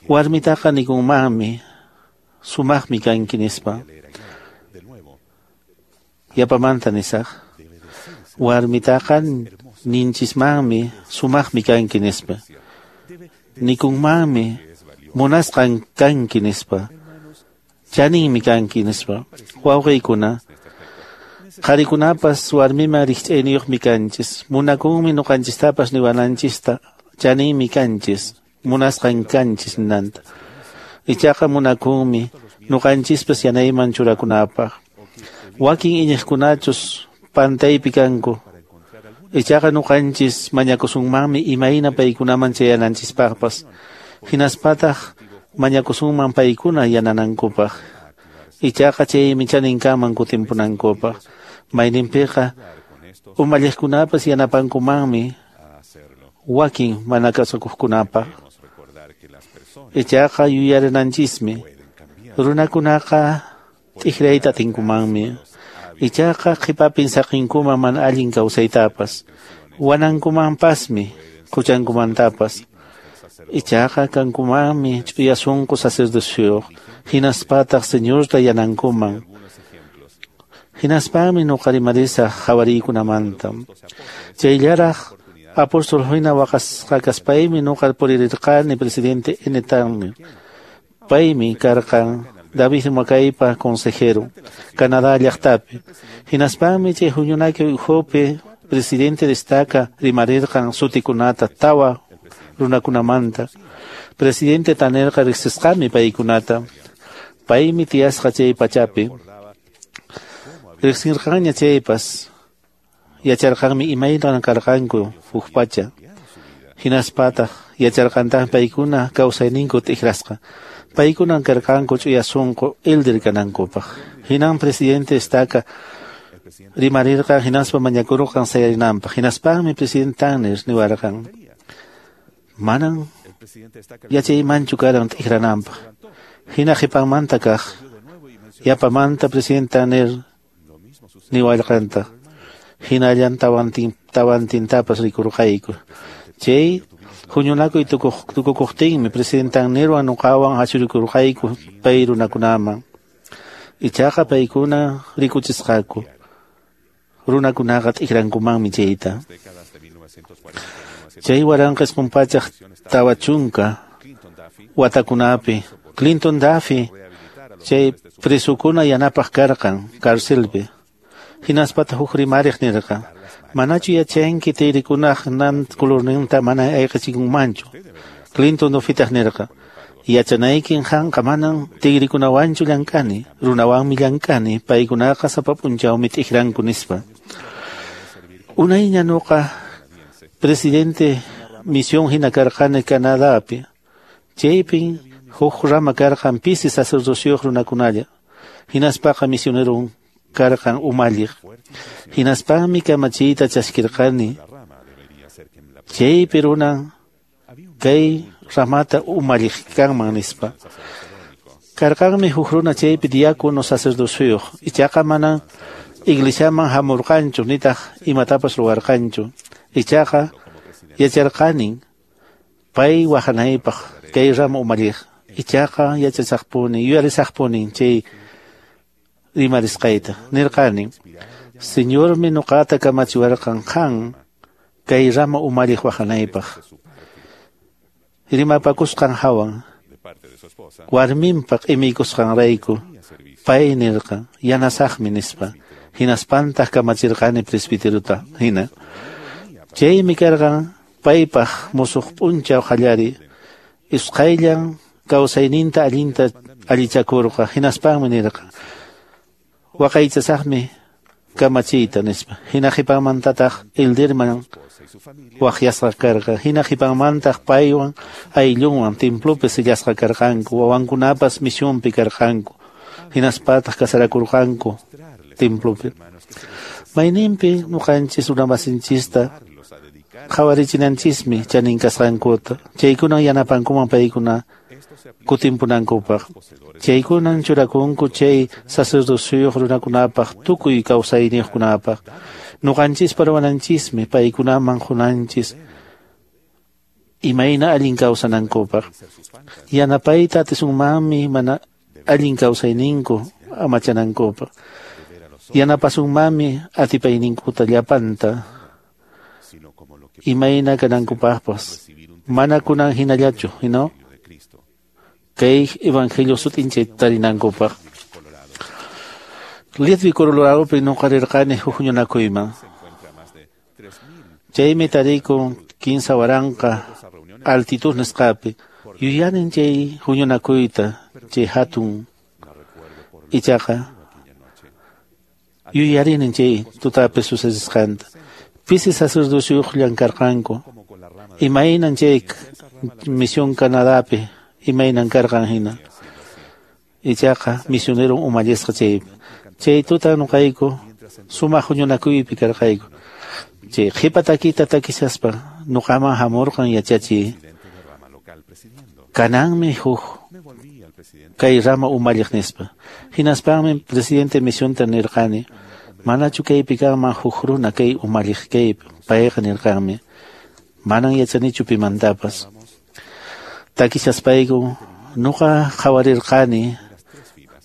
warmitaqa nikunmanmi sumaqmi kanki nispa. Yapamanta nisaq, warmitaqa ninchismanmi sumaqmi kanki nispa, nikunmanmi munasqan kanki nispa, chaninmi kanki nispa. Wawqiykuna, qharikunapas warmiman rikch'ayniyuqmi kanchis, munakunmi nuqanchistapas niwananchista chaninmi kanchis, munasqan kanchis ninanta. Ichaqa munakunmi nuqanchispas yanayman churakunapaq. Wakin iñiqkunachus pantaypi kanku, ichaqa nuqanchis mañakusunmanmi imayna paykunaman chayananchispaqpas, hinaspataq mañakusunman paykuna yananankupaq. Ichaqa chaymi chaninkaman kutimpunankupaq. Mayninpiqa umalliqkunapas yanapankumanmi wakin mana kasukuqkunapaq. Ichaqa yuyarinanchismi runakunaqa t'ikrayta atinkumanmi. Ichaqa qhipapin saqinkuman mana allin kawsaytapas, wanankumanpasmi huchankumantapas. Ichaqa kankumanmi ch'uya sunqu sacerdocioyuq, hinaspataq Señorta yanankuman. Hinaspami nuqa rimarisaq qhawariykunamanta. Chayllaraq apóstol hina waqasqa kaspaymi nuqa puririrqani presidente N. Tanner. Paymi karqan David Makaypa consejero Canadá llaqtapi. Hinaspami chay huñunakuy ukhupi presidente destaca rimarirqan sutikunata tawa runakunamanta. Presidente Tannerqa riqsisqami paykunata. Paymi tiyasqa chay pachapi. Riqsirqanña chaypas yacharqanmi imaynan karqanku huk pacha. Hinaspataq yacharqantaq paykuna kawsayninku t'ikrasqa. Paykunan karqanku ch'uya sunqu elder kanankupaq. Hinan presidente estaca rimarirqan hinaspa mañakurqan sayarinanpaq. Hinaspanmi presidente Tanner niwarqan, manan yachaymanchu karan t'ikrananpaq. Hina qhipanmanta kaq yapamanta presidente Tanner niwarqantaq. Hinallan tawantin tawantintapas rikurqayku. Chay huñunakuy tukukuqtinmi presidente Tannerwan nuqawan ashurikurqayku pay runakunaman. Ichaqa paykuna rikuchisqaku. Runakunaqa t'ikrankumanmi chayta. Chay waranqa isqun pachak tawa chunka watakunapi Clinton Duffy chay presukuna yanapaq karqan carcelpi. Hinaspata huk rimariq nirqan, manachu yachanki tirikunaq nan colorninta mana ayqichikunmanchu. Clinton Duffytaq nirqan, yachanaykin qanqa manan tigrikunawanchu llank'ani, runawanmi llank'ani, paykunaqa sapa p'unchawmi t'ikranku nispa. Unayña nuqa presidente misión hina karqani Canadapi. Chaypin huk rama karqan pisi sacerdocioyuq runakunalla. Hinaspaqa misioneron karqan umalliq. Hinaspanmi kamachiyta chaskirqani. Chaypi runan kay ramata umalliq kanman nispa. Karqanmi huk runa chaypi diácono sacerdocioyuq. Ichaqa manan iglesiaman hamurqanchu nitaq imatapas ruwarqanchu. Ichaqa yacharqanin pay wahanaypaq kay rama umalliq. Ichaqa yachasaqpuni yuyarisaqpuni chay rimarisqayta. Nirqanin, Señormi nuqata kamachiwarqan qan kay rama umalliq wahanaypaq. Rimapakusqan hawan warminpaq imiykusqanrayku pay nirqan yanasaqmi nispa. Hinaspantaq kamachirqani presbiterota hina. Chaymi karqan paypaq musuq p'unchaw qallari. Isqayllan kawsayninta allinta allichakurqa. Hinaspanmi nirqan, waqaychasaqmi kamachiyta nispa. Hina qhipanmantataq elderman waqyasqa karqa. Hina qhipanmantaq paywan ayllunwan templopi sillasqa karqanku. Wawankunapas misionpi karqanku. Hinaspataq kasarakurqanku templopi. Mayninpi nuqanchis runamasinchista qhawarichinanchishmi chanin kasqankuta. Chaykunan yanapankuman paykuna kutimpunankupaq. Chaykunan churakunku chay sacerdocioyuq runakunapaq tukuy kawsayniyuqkunapaq. Nuqanchispa ruwananchismi paykunaman qunanchis imayna allin kawsanankupaq. Yanapayta atisunmanmi mana allin kawsayninku amachanankupaq. Yanapasunmanmi atipayninkuta llapanta imayna kanankupaqpas. Mana kunan hinallachu, no? Kay evangelio sut'inchay tarinankupaq. Leadville Coloradopi nuqa rirqani huk huñunakuyman. Chaymi tarikun kinsa waranqa altitud nisqapi. Yuyanin chay huñunakuyta, chay hatun ichaqa yuyarinin chay tutapi sucedisqanta. Pisi sacerdocioyuq llamkarqanku. Imaynan chay misión Canadapi imaynan karqan hina. Ichaqa misionero umallisqa chaypi. Chay tuta nuqayku sumaq huñunakuypi karqayku. Chay qhipa takita takishaspa nuqaman hamurqan yachachiy. Kananmi huk kay rama umalliq nispa. Hinaspanmi presidente misionta nirqani, manachu kaypi kanman huk runa kay umalliq kaypi. Payqa nirqanmi, manan yachanichu pimantapas. Takishaspayku nuqa qhawarirqani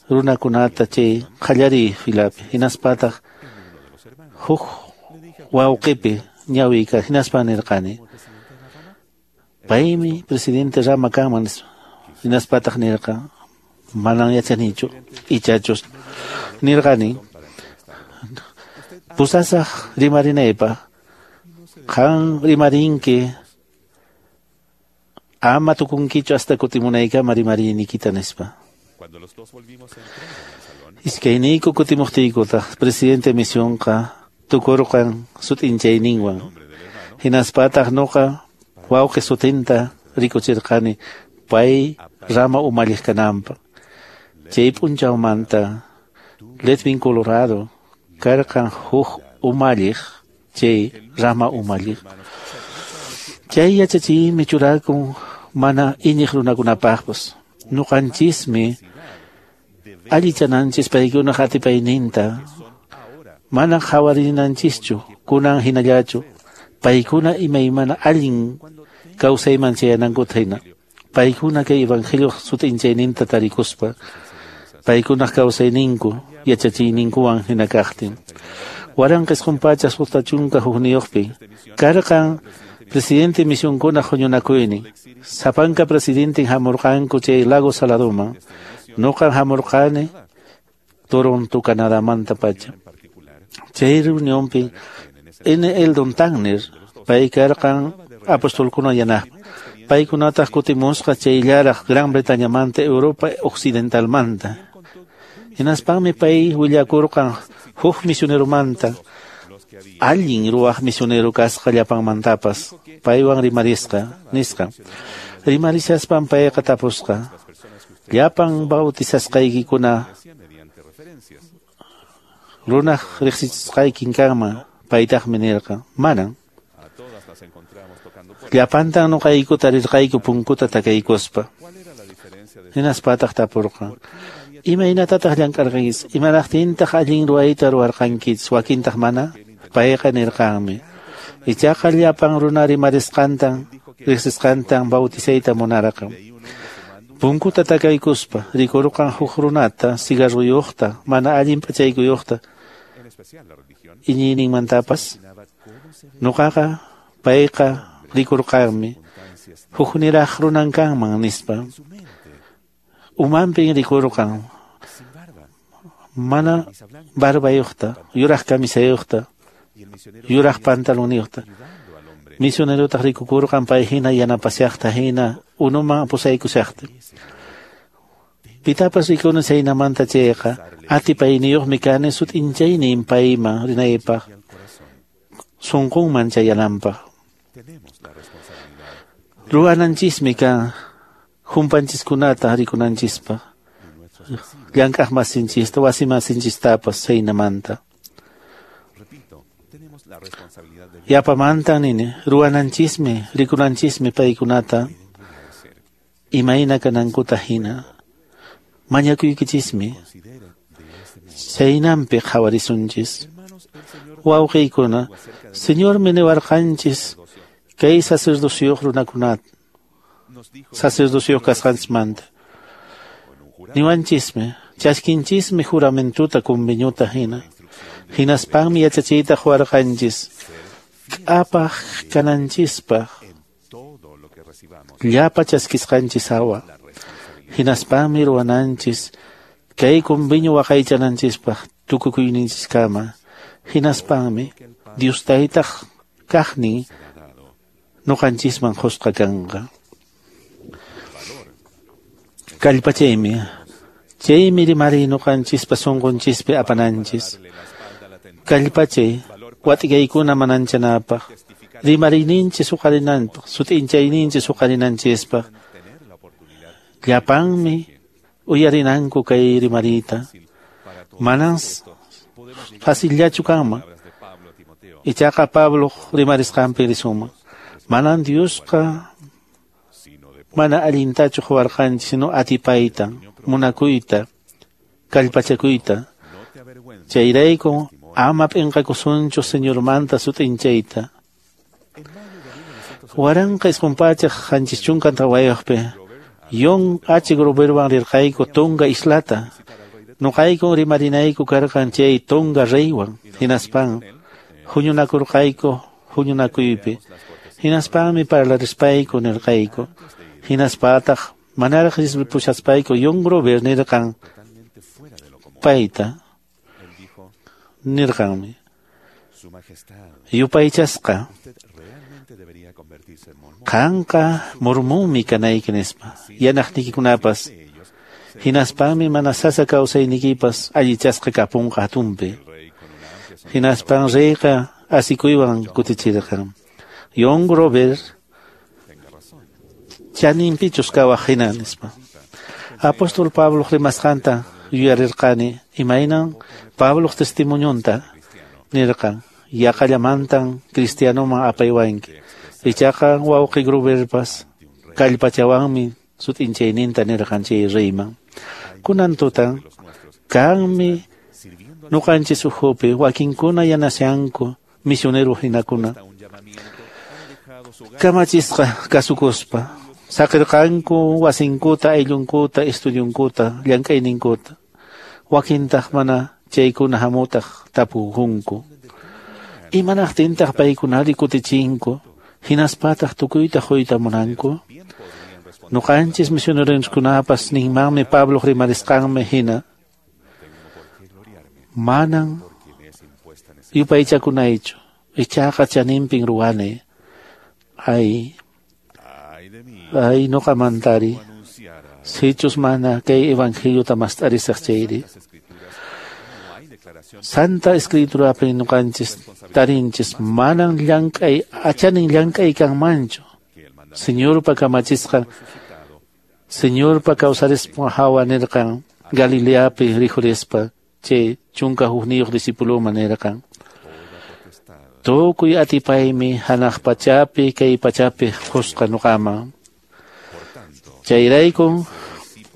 runakunata chay qallariy filapi. Hinaspataq huk wawqipi ñawiyka. Hinaspa nirqani, paymi presidente rama kanman nispa. Hinaspataq nirqan, manan yachanichu ichachus. Nirqani, pusasaq rimarinaypaq, qan rimarinki ama tukunkichu hasta kutimunaykama rimarinikita nispa. Iskayniyku kutimuqtiykutaq presidente misionqa tukurqan sut'inchayninwan. Hinaspataq nuqa wawqi sutinta rikuchirqani pay rama umalliq kananpaq. Chay p'unchawmanta Leadville Colorado karqan huk umalliq chay rama umalliq. Chay yachachiymi churakun mana iñiq runakunapaqpas. Nuqanchismi allichananchis paykunaq atipayninta. Mana qhawarinanchischu kunan hinallachu. Paykuna imaymana allin kawsayman chayanankuta hina. Paykuna kay evangelio sut'inchayninta tarikuspa paykunaq kawsayninku yachachiyninkuwan hina kaqtin. Waranqa isqun pachak suqta chunka hukniyuqpi karqan presidente misionkuna huñunakuynin. Sapanka presidenten hamurqanku chay Lago Saladuman. Nuqan hamurqani Toronto, Canadamanta pacha. Chay reunionpi N. Eldon Tanner pay karqan apostolkuna yanaqpa. Paykunataq kutimusqa chayllaraq Gran Bretañamanta Europa Occidentalmanta. Hinaspanmi pay willakurqan huk misioneromanta, allin ruwaq misionero kasqa llapanmantapas, paywan rimarisqa, nisqa. Rimarishaspan payqa tapusqa, llapan bautizasqaykikuna runaq riqsichisqaykin kanman, paytaqmi nirqan, manan. Llapantan nuqayku tarirqayku punkuta takaykuspa. Hinaspataq tapurqan, imaynatataq llank'arqankichis, imanaqtintaq allin ruwayta ruwarqankichis, wakintaq mana? Payqa nirqanmi, ichaqa llapan runa rimarisqantan, riqsisqantan bautizayta munarqan. Punkuta takaykuspa rikurqan huk runata, cigarruyuqta, mana allin p'achaykuyuqta, iñiyninmantapas. Nuqaqa payqa rikurqanmi, hukniraq runan kanman nispa. Umanpin rikurqan, mana barbayuqta, yuraq camisayuqta, yuraq pantaloniyuqta. Misionerotaq rikukurqan pay hina yanapashaqta hina unuman pusaykushaqta. Pitapas rikuni chaynamanta chayqa, atipayniyuqmi kani sut'inchaynin payman rinaypaq, sunqunman chayananpaq. Ruwananchismi kan humpanchiskunata rikunanchispaq, llank'aq masinchista, wasi masinchistapas chaynamanta. Yapamantan nini, ruwananchismi, rikunanchismi paykunata imayna kanankuta hina. Mañakuykichismi, chaynampi qhawarisunchis. Wawqiykuna, Señormi niwarqanchis kay sacerdocioyuq runakunata, sacerdocioyuq kasqanchismanta. Niwanchismi, chaskinchismi juramentuta conveniota hina. Hinaspanmi yachachiyta quwarqanchis, k'apaq kananchispaq, llapa chaskisqanchis hawa. Hinaspanmi ruwananchis kay convenio waqaychananchispaq tukukuyninchiskama. Hinaspanmi Dios taytaq kaqnin nuqanchisman qusqa kanqa. Kallpachaymi, chaymi rimariy nuqanchispa sunqunchispi apananchis. Kallpachay, wat'ikaykuna mananchanapaq, rimariyninchis huqarinanpaq, sut'inchayninchis huqarinanchispaq. Llapanmi uyarinanku kay rimariyta. Manan facillachu kanman. Ichaqa Pablo rimarisqanpi risunman. Manan Diosqa mana allintachu quwarqanchis, sino atipayta, munakuyta, kallpachakuyta. Chayrayku ama p'inqakusunchu Señormanta sut'inchayta. Waranqa isqun pachak qanchis chunka tawayuqpi John H. Groverwan rirqayku Tonga islata. Nuqayku rimarinayku karqan chay Tonga reywan. Hinaspan huñunakurqayku huñunakuypi. Hinaspanmi parlarispayku nirqayku. Hinaspataq manaraq pushaspayku John Grover nirqan payta. Nirqanmi, yupaychasqa, qanqa mormonmi kanayki nispa, yanaqnikikunapas. Hinaspanmi mana sasa kawsaynikipas allichasqa kapunqa hatunpi. Hinaspan reyqa asikuywan kutichirqan. John Grover chaninpichus kawaq hina nispa. Apóstol Pablo rimasqanta yuyarirqani, imaynan Pabloq testimonionta nirqan, yaqallamantan cristianoman apaywanki. Ichaqa wawqi Groverpas kallpachawanmi sut'inchayninta nirqan chay reyman. Kunan tutan kanmi nuqanchis ukhupi wakinkuna yanashanku misionero hinakuna. Kamachisqa kasukuspa saqirqanku wasinkuta, ayllunkuta, estudiunkuta, llank'ayninkuta. Wakintaq mana chaykuna hamutaq tapukunku. Imanaqtintaq paykunari kutichinku, hinaspataq tukuyta quyta munanku? Nuqanchis misioneronkunapas ninmanmi Pablo rimarisqanmi hina. Manan yupaychakunaychu, ichaqa chaninpin ruwani. Ay, ay nuqamantari, sichus mana kay evangeliota mast'arisaq chayri. Santa Escriturapi nuqanchis tarinchis manan llank'ay achanin llank'ay kanmanchu. Señorpa kamachisqan, Señorpa kawsarispa hawa nirqan Galileapi rikhurispa chay chunka hukniyuq discipuluman nirqan. Tukuy atipaymi hanaq pachapi kay pachapi qusqa nuqaman. Chayrayku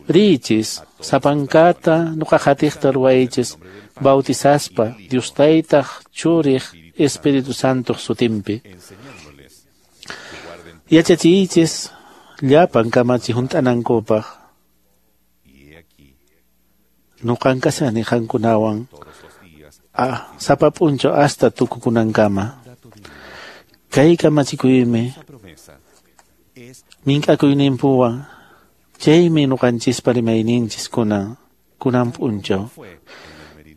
riichis sapankata nuqa qatiqta ruwaychis bautizaspa Dios Taytaq Churiq Espíritu Santoq sutinpi. Yachachiychis llapan kamachi hunt'anankupaq. Nuqan kashani qankunawan ah, sapa p'unchaw hasta tukukunankama. Kay kamachikuymi mink'akuyninpuwan chaymi nuqanchispa rimayninchis kunan kunan p'unchaw.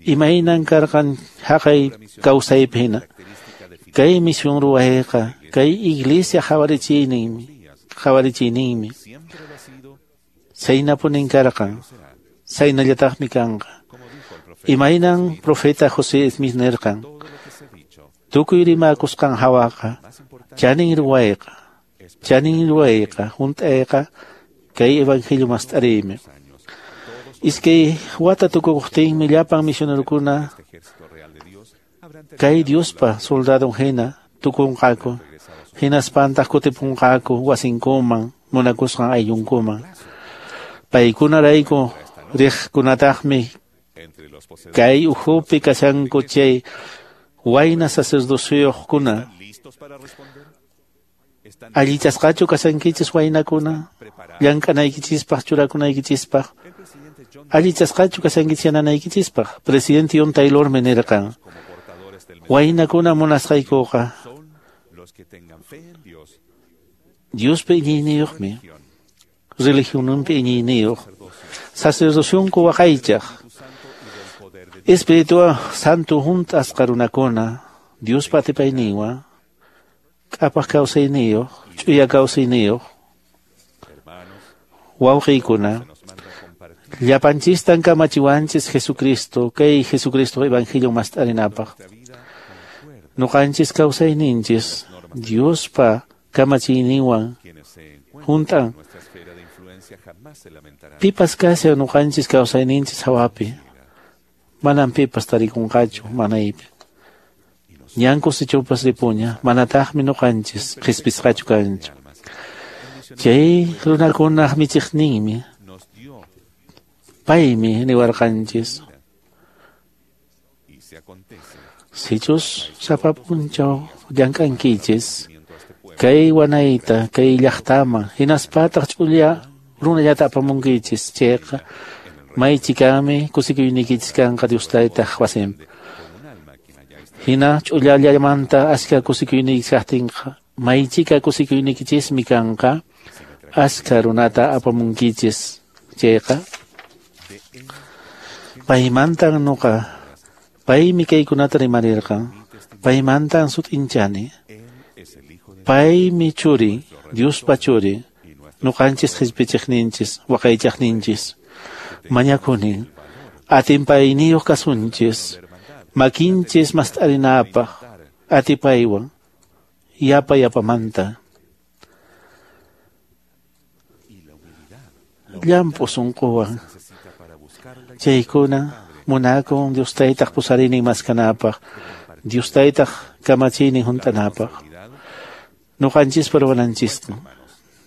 Imaynan karqan haqay kawsaypi hina. Kay misión ruwayqa kay iglesia qhawarichiyninmi qhawarichiyninmi saynapunin karqan, saynallataqmi kanqa. Imaynan profeta José Smith nirqan, tukuy rimakusqan hawaqa chanin ruwayqa, chanin ruwayqa hunt'ayqa kay evangelio mast'ariymi. Iskay wata tukukuqtinmi llapan misionerokuna kay Diospa soldadon hina tukunqaku, hinaspantaq kutipunqaku wasinkuman munakusqan ayllunkuman. Paykunarayku riqkunataqmi kay ukhupi kashanku chay wayna sacerdocioqkuna. Allichasqachu kashankichis waynakuna, llank'anaykichispaq churakunaykichispaq? Allichasqachu kashankichis yananaykichispaq? Presidente John Taylormi nirqan, waynakuna munasqaykuqa Diospi iñiyniyuqmi, religionninpi iñiyniyuq, sacerdocionku waqaychaq, Espíritu Santo hunt'asqa runakuna, Diospa atipayninwan, k'apaq kawsayniyuq, ch'uya kawsayniyuq, wawqiykuna, llapanchistan kamachiwanchis Jesucristo, kay Jesucristo evangelio mast'arinapaq. Nuqanchis kawsayninchis Diospa kamachiyninwan hunt'an. Pipas kashan nuqanchis kawsayninchis hawapi, manan pipas tarikunqachu manaypi. Ñan kusichupas ripuña, manataqmi nuqanchis qhispisqachu kanchu. Chay runakunaq michiqninmi, paymi niwarqanchis. Sichus sapa p'unchaw llank'ankichis kay wanayta, kay llaqtaman, hinaspataq ch'ulla runallata apamunkichis chayqa maychikami kusikuynikichis kanqa Dios Taytaq wasinpi. Hina ch'ullallamanta ashka kusikuynikichis kaqtinqa maychika kusikuynikichismi kanqa ashka runata apamunkichis chayqa. Paymantan nuqa, paymi kaykunata rimarirqan, paymantan sut'inchani. Paymi churi, Diospa churi, nuqanchis qhispichiqninchis, waqaychaqninchis. Mañakuni, atinpayniyuq kasunchis, makinchis mast'arinapaq, atipaywan, yapa yapamanta. Llamp'u sunquwan, chaykuna munakun Dios Taytaq pusarinin maskanapaq, Dios Taytaq kamachiynin hunt'anapaq. Nuqanchispa ruwananchistan,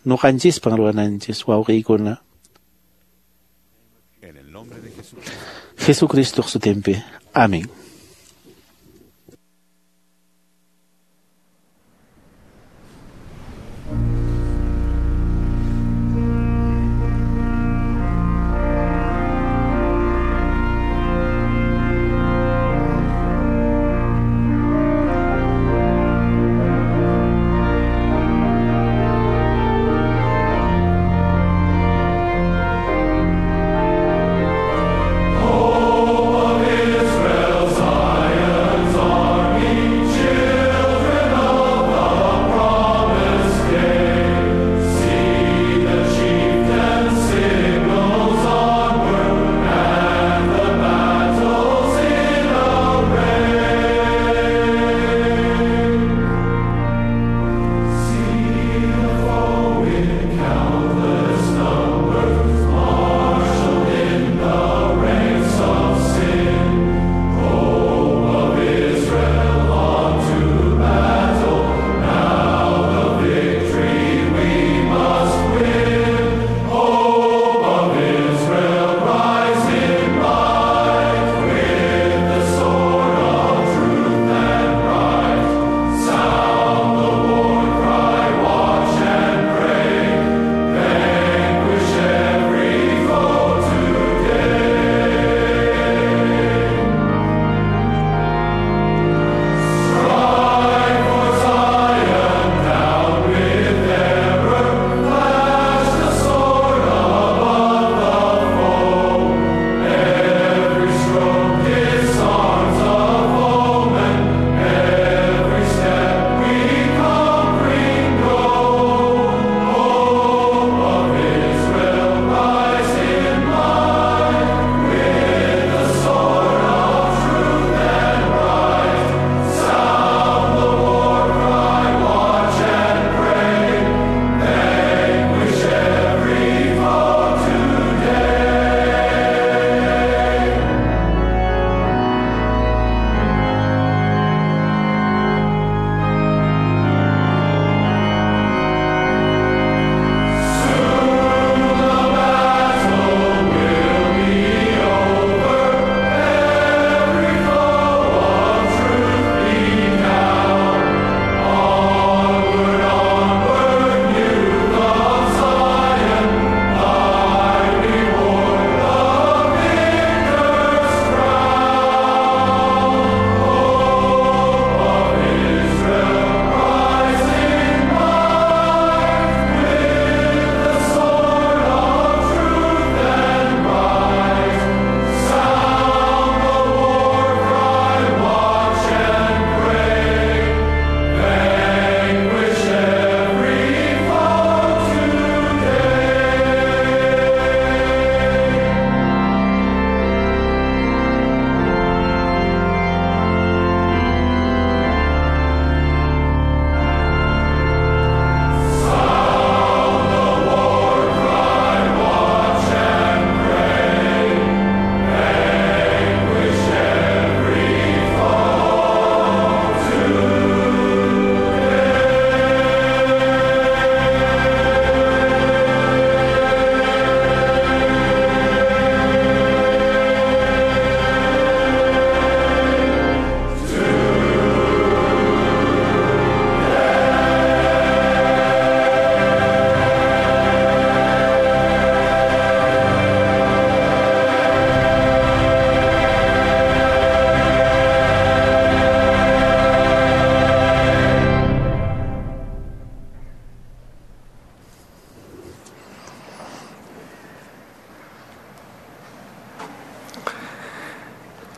nuqanchispan ruwananchis wawqiykuna. Jesucristo sutinpi. Amén.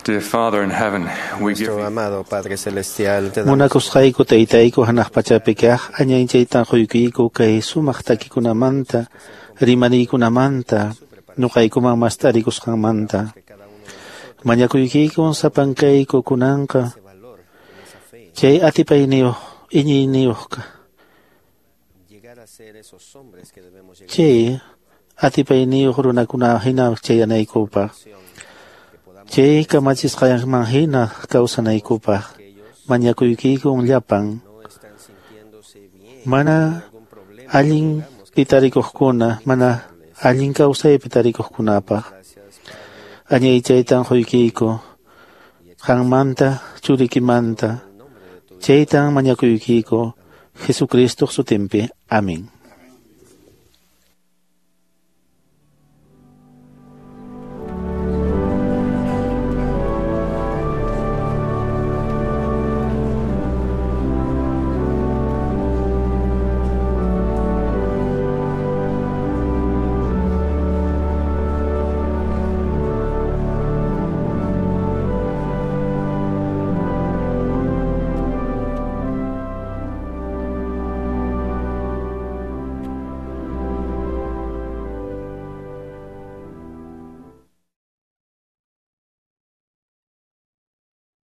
Dear Father in heaven, we give Nuestro amado Padre Celestial, te damos Munakusqayku taytayku hanaq pachapi kaq añanchaytan quykuyku kay sumaq takikunamanta rimariykunamanta nuqaykuman mast'arikusqanmanta. Mañakuykikun sapankayku kunanqa chay atipayniyuq iñiyniyuqqa llegar a ser esos hombres que debemos llegar chay atipayniyuq runakuna hina chayanaykupaq chay kamachisqanman hina kawsanaykupaq mañakuykikun llapan mana allin pitarikuqkuna mana allin kawsaypi tarikuqkunapaq añaychaytan quykiyku qanmanta churikimanta chaytan mañakuykiku Jesucristo sutinpi. Amén.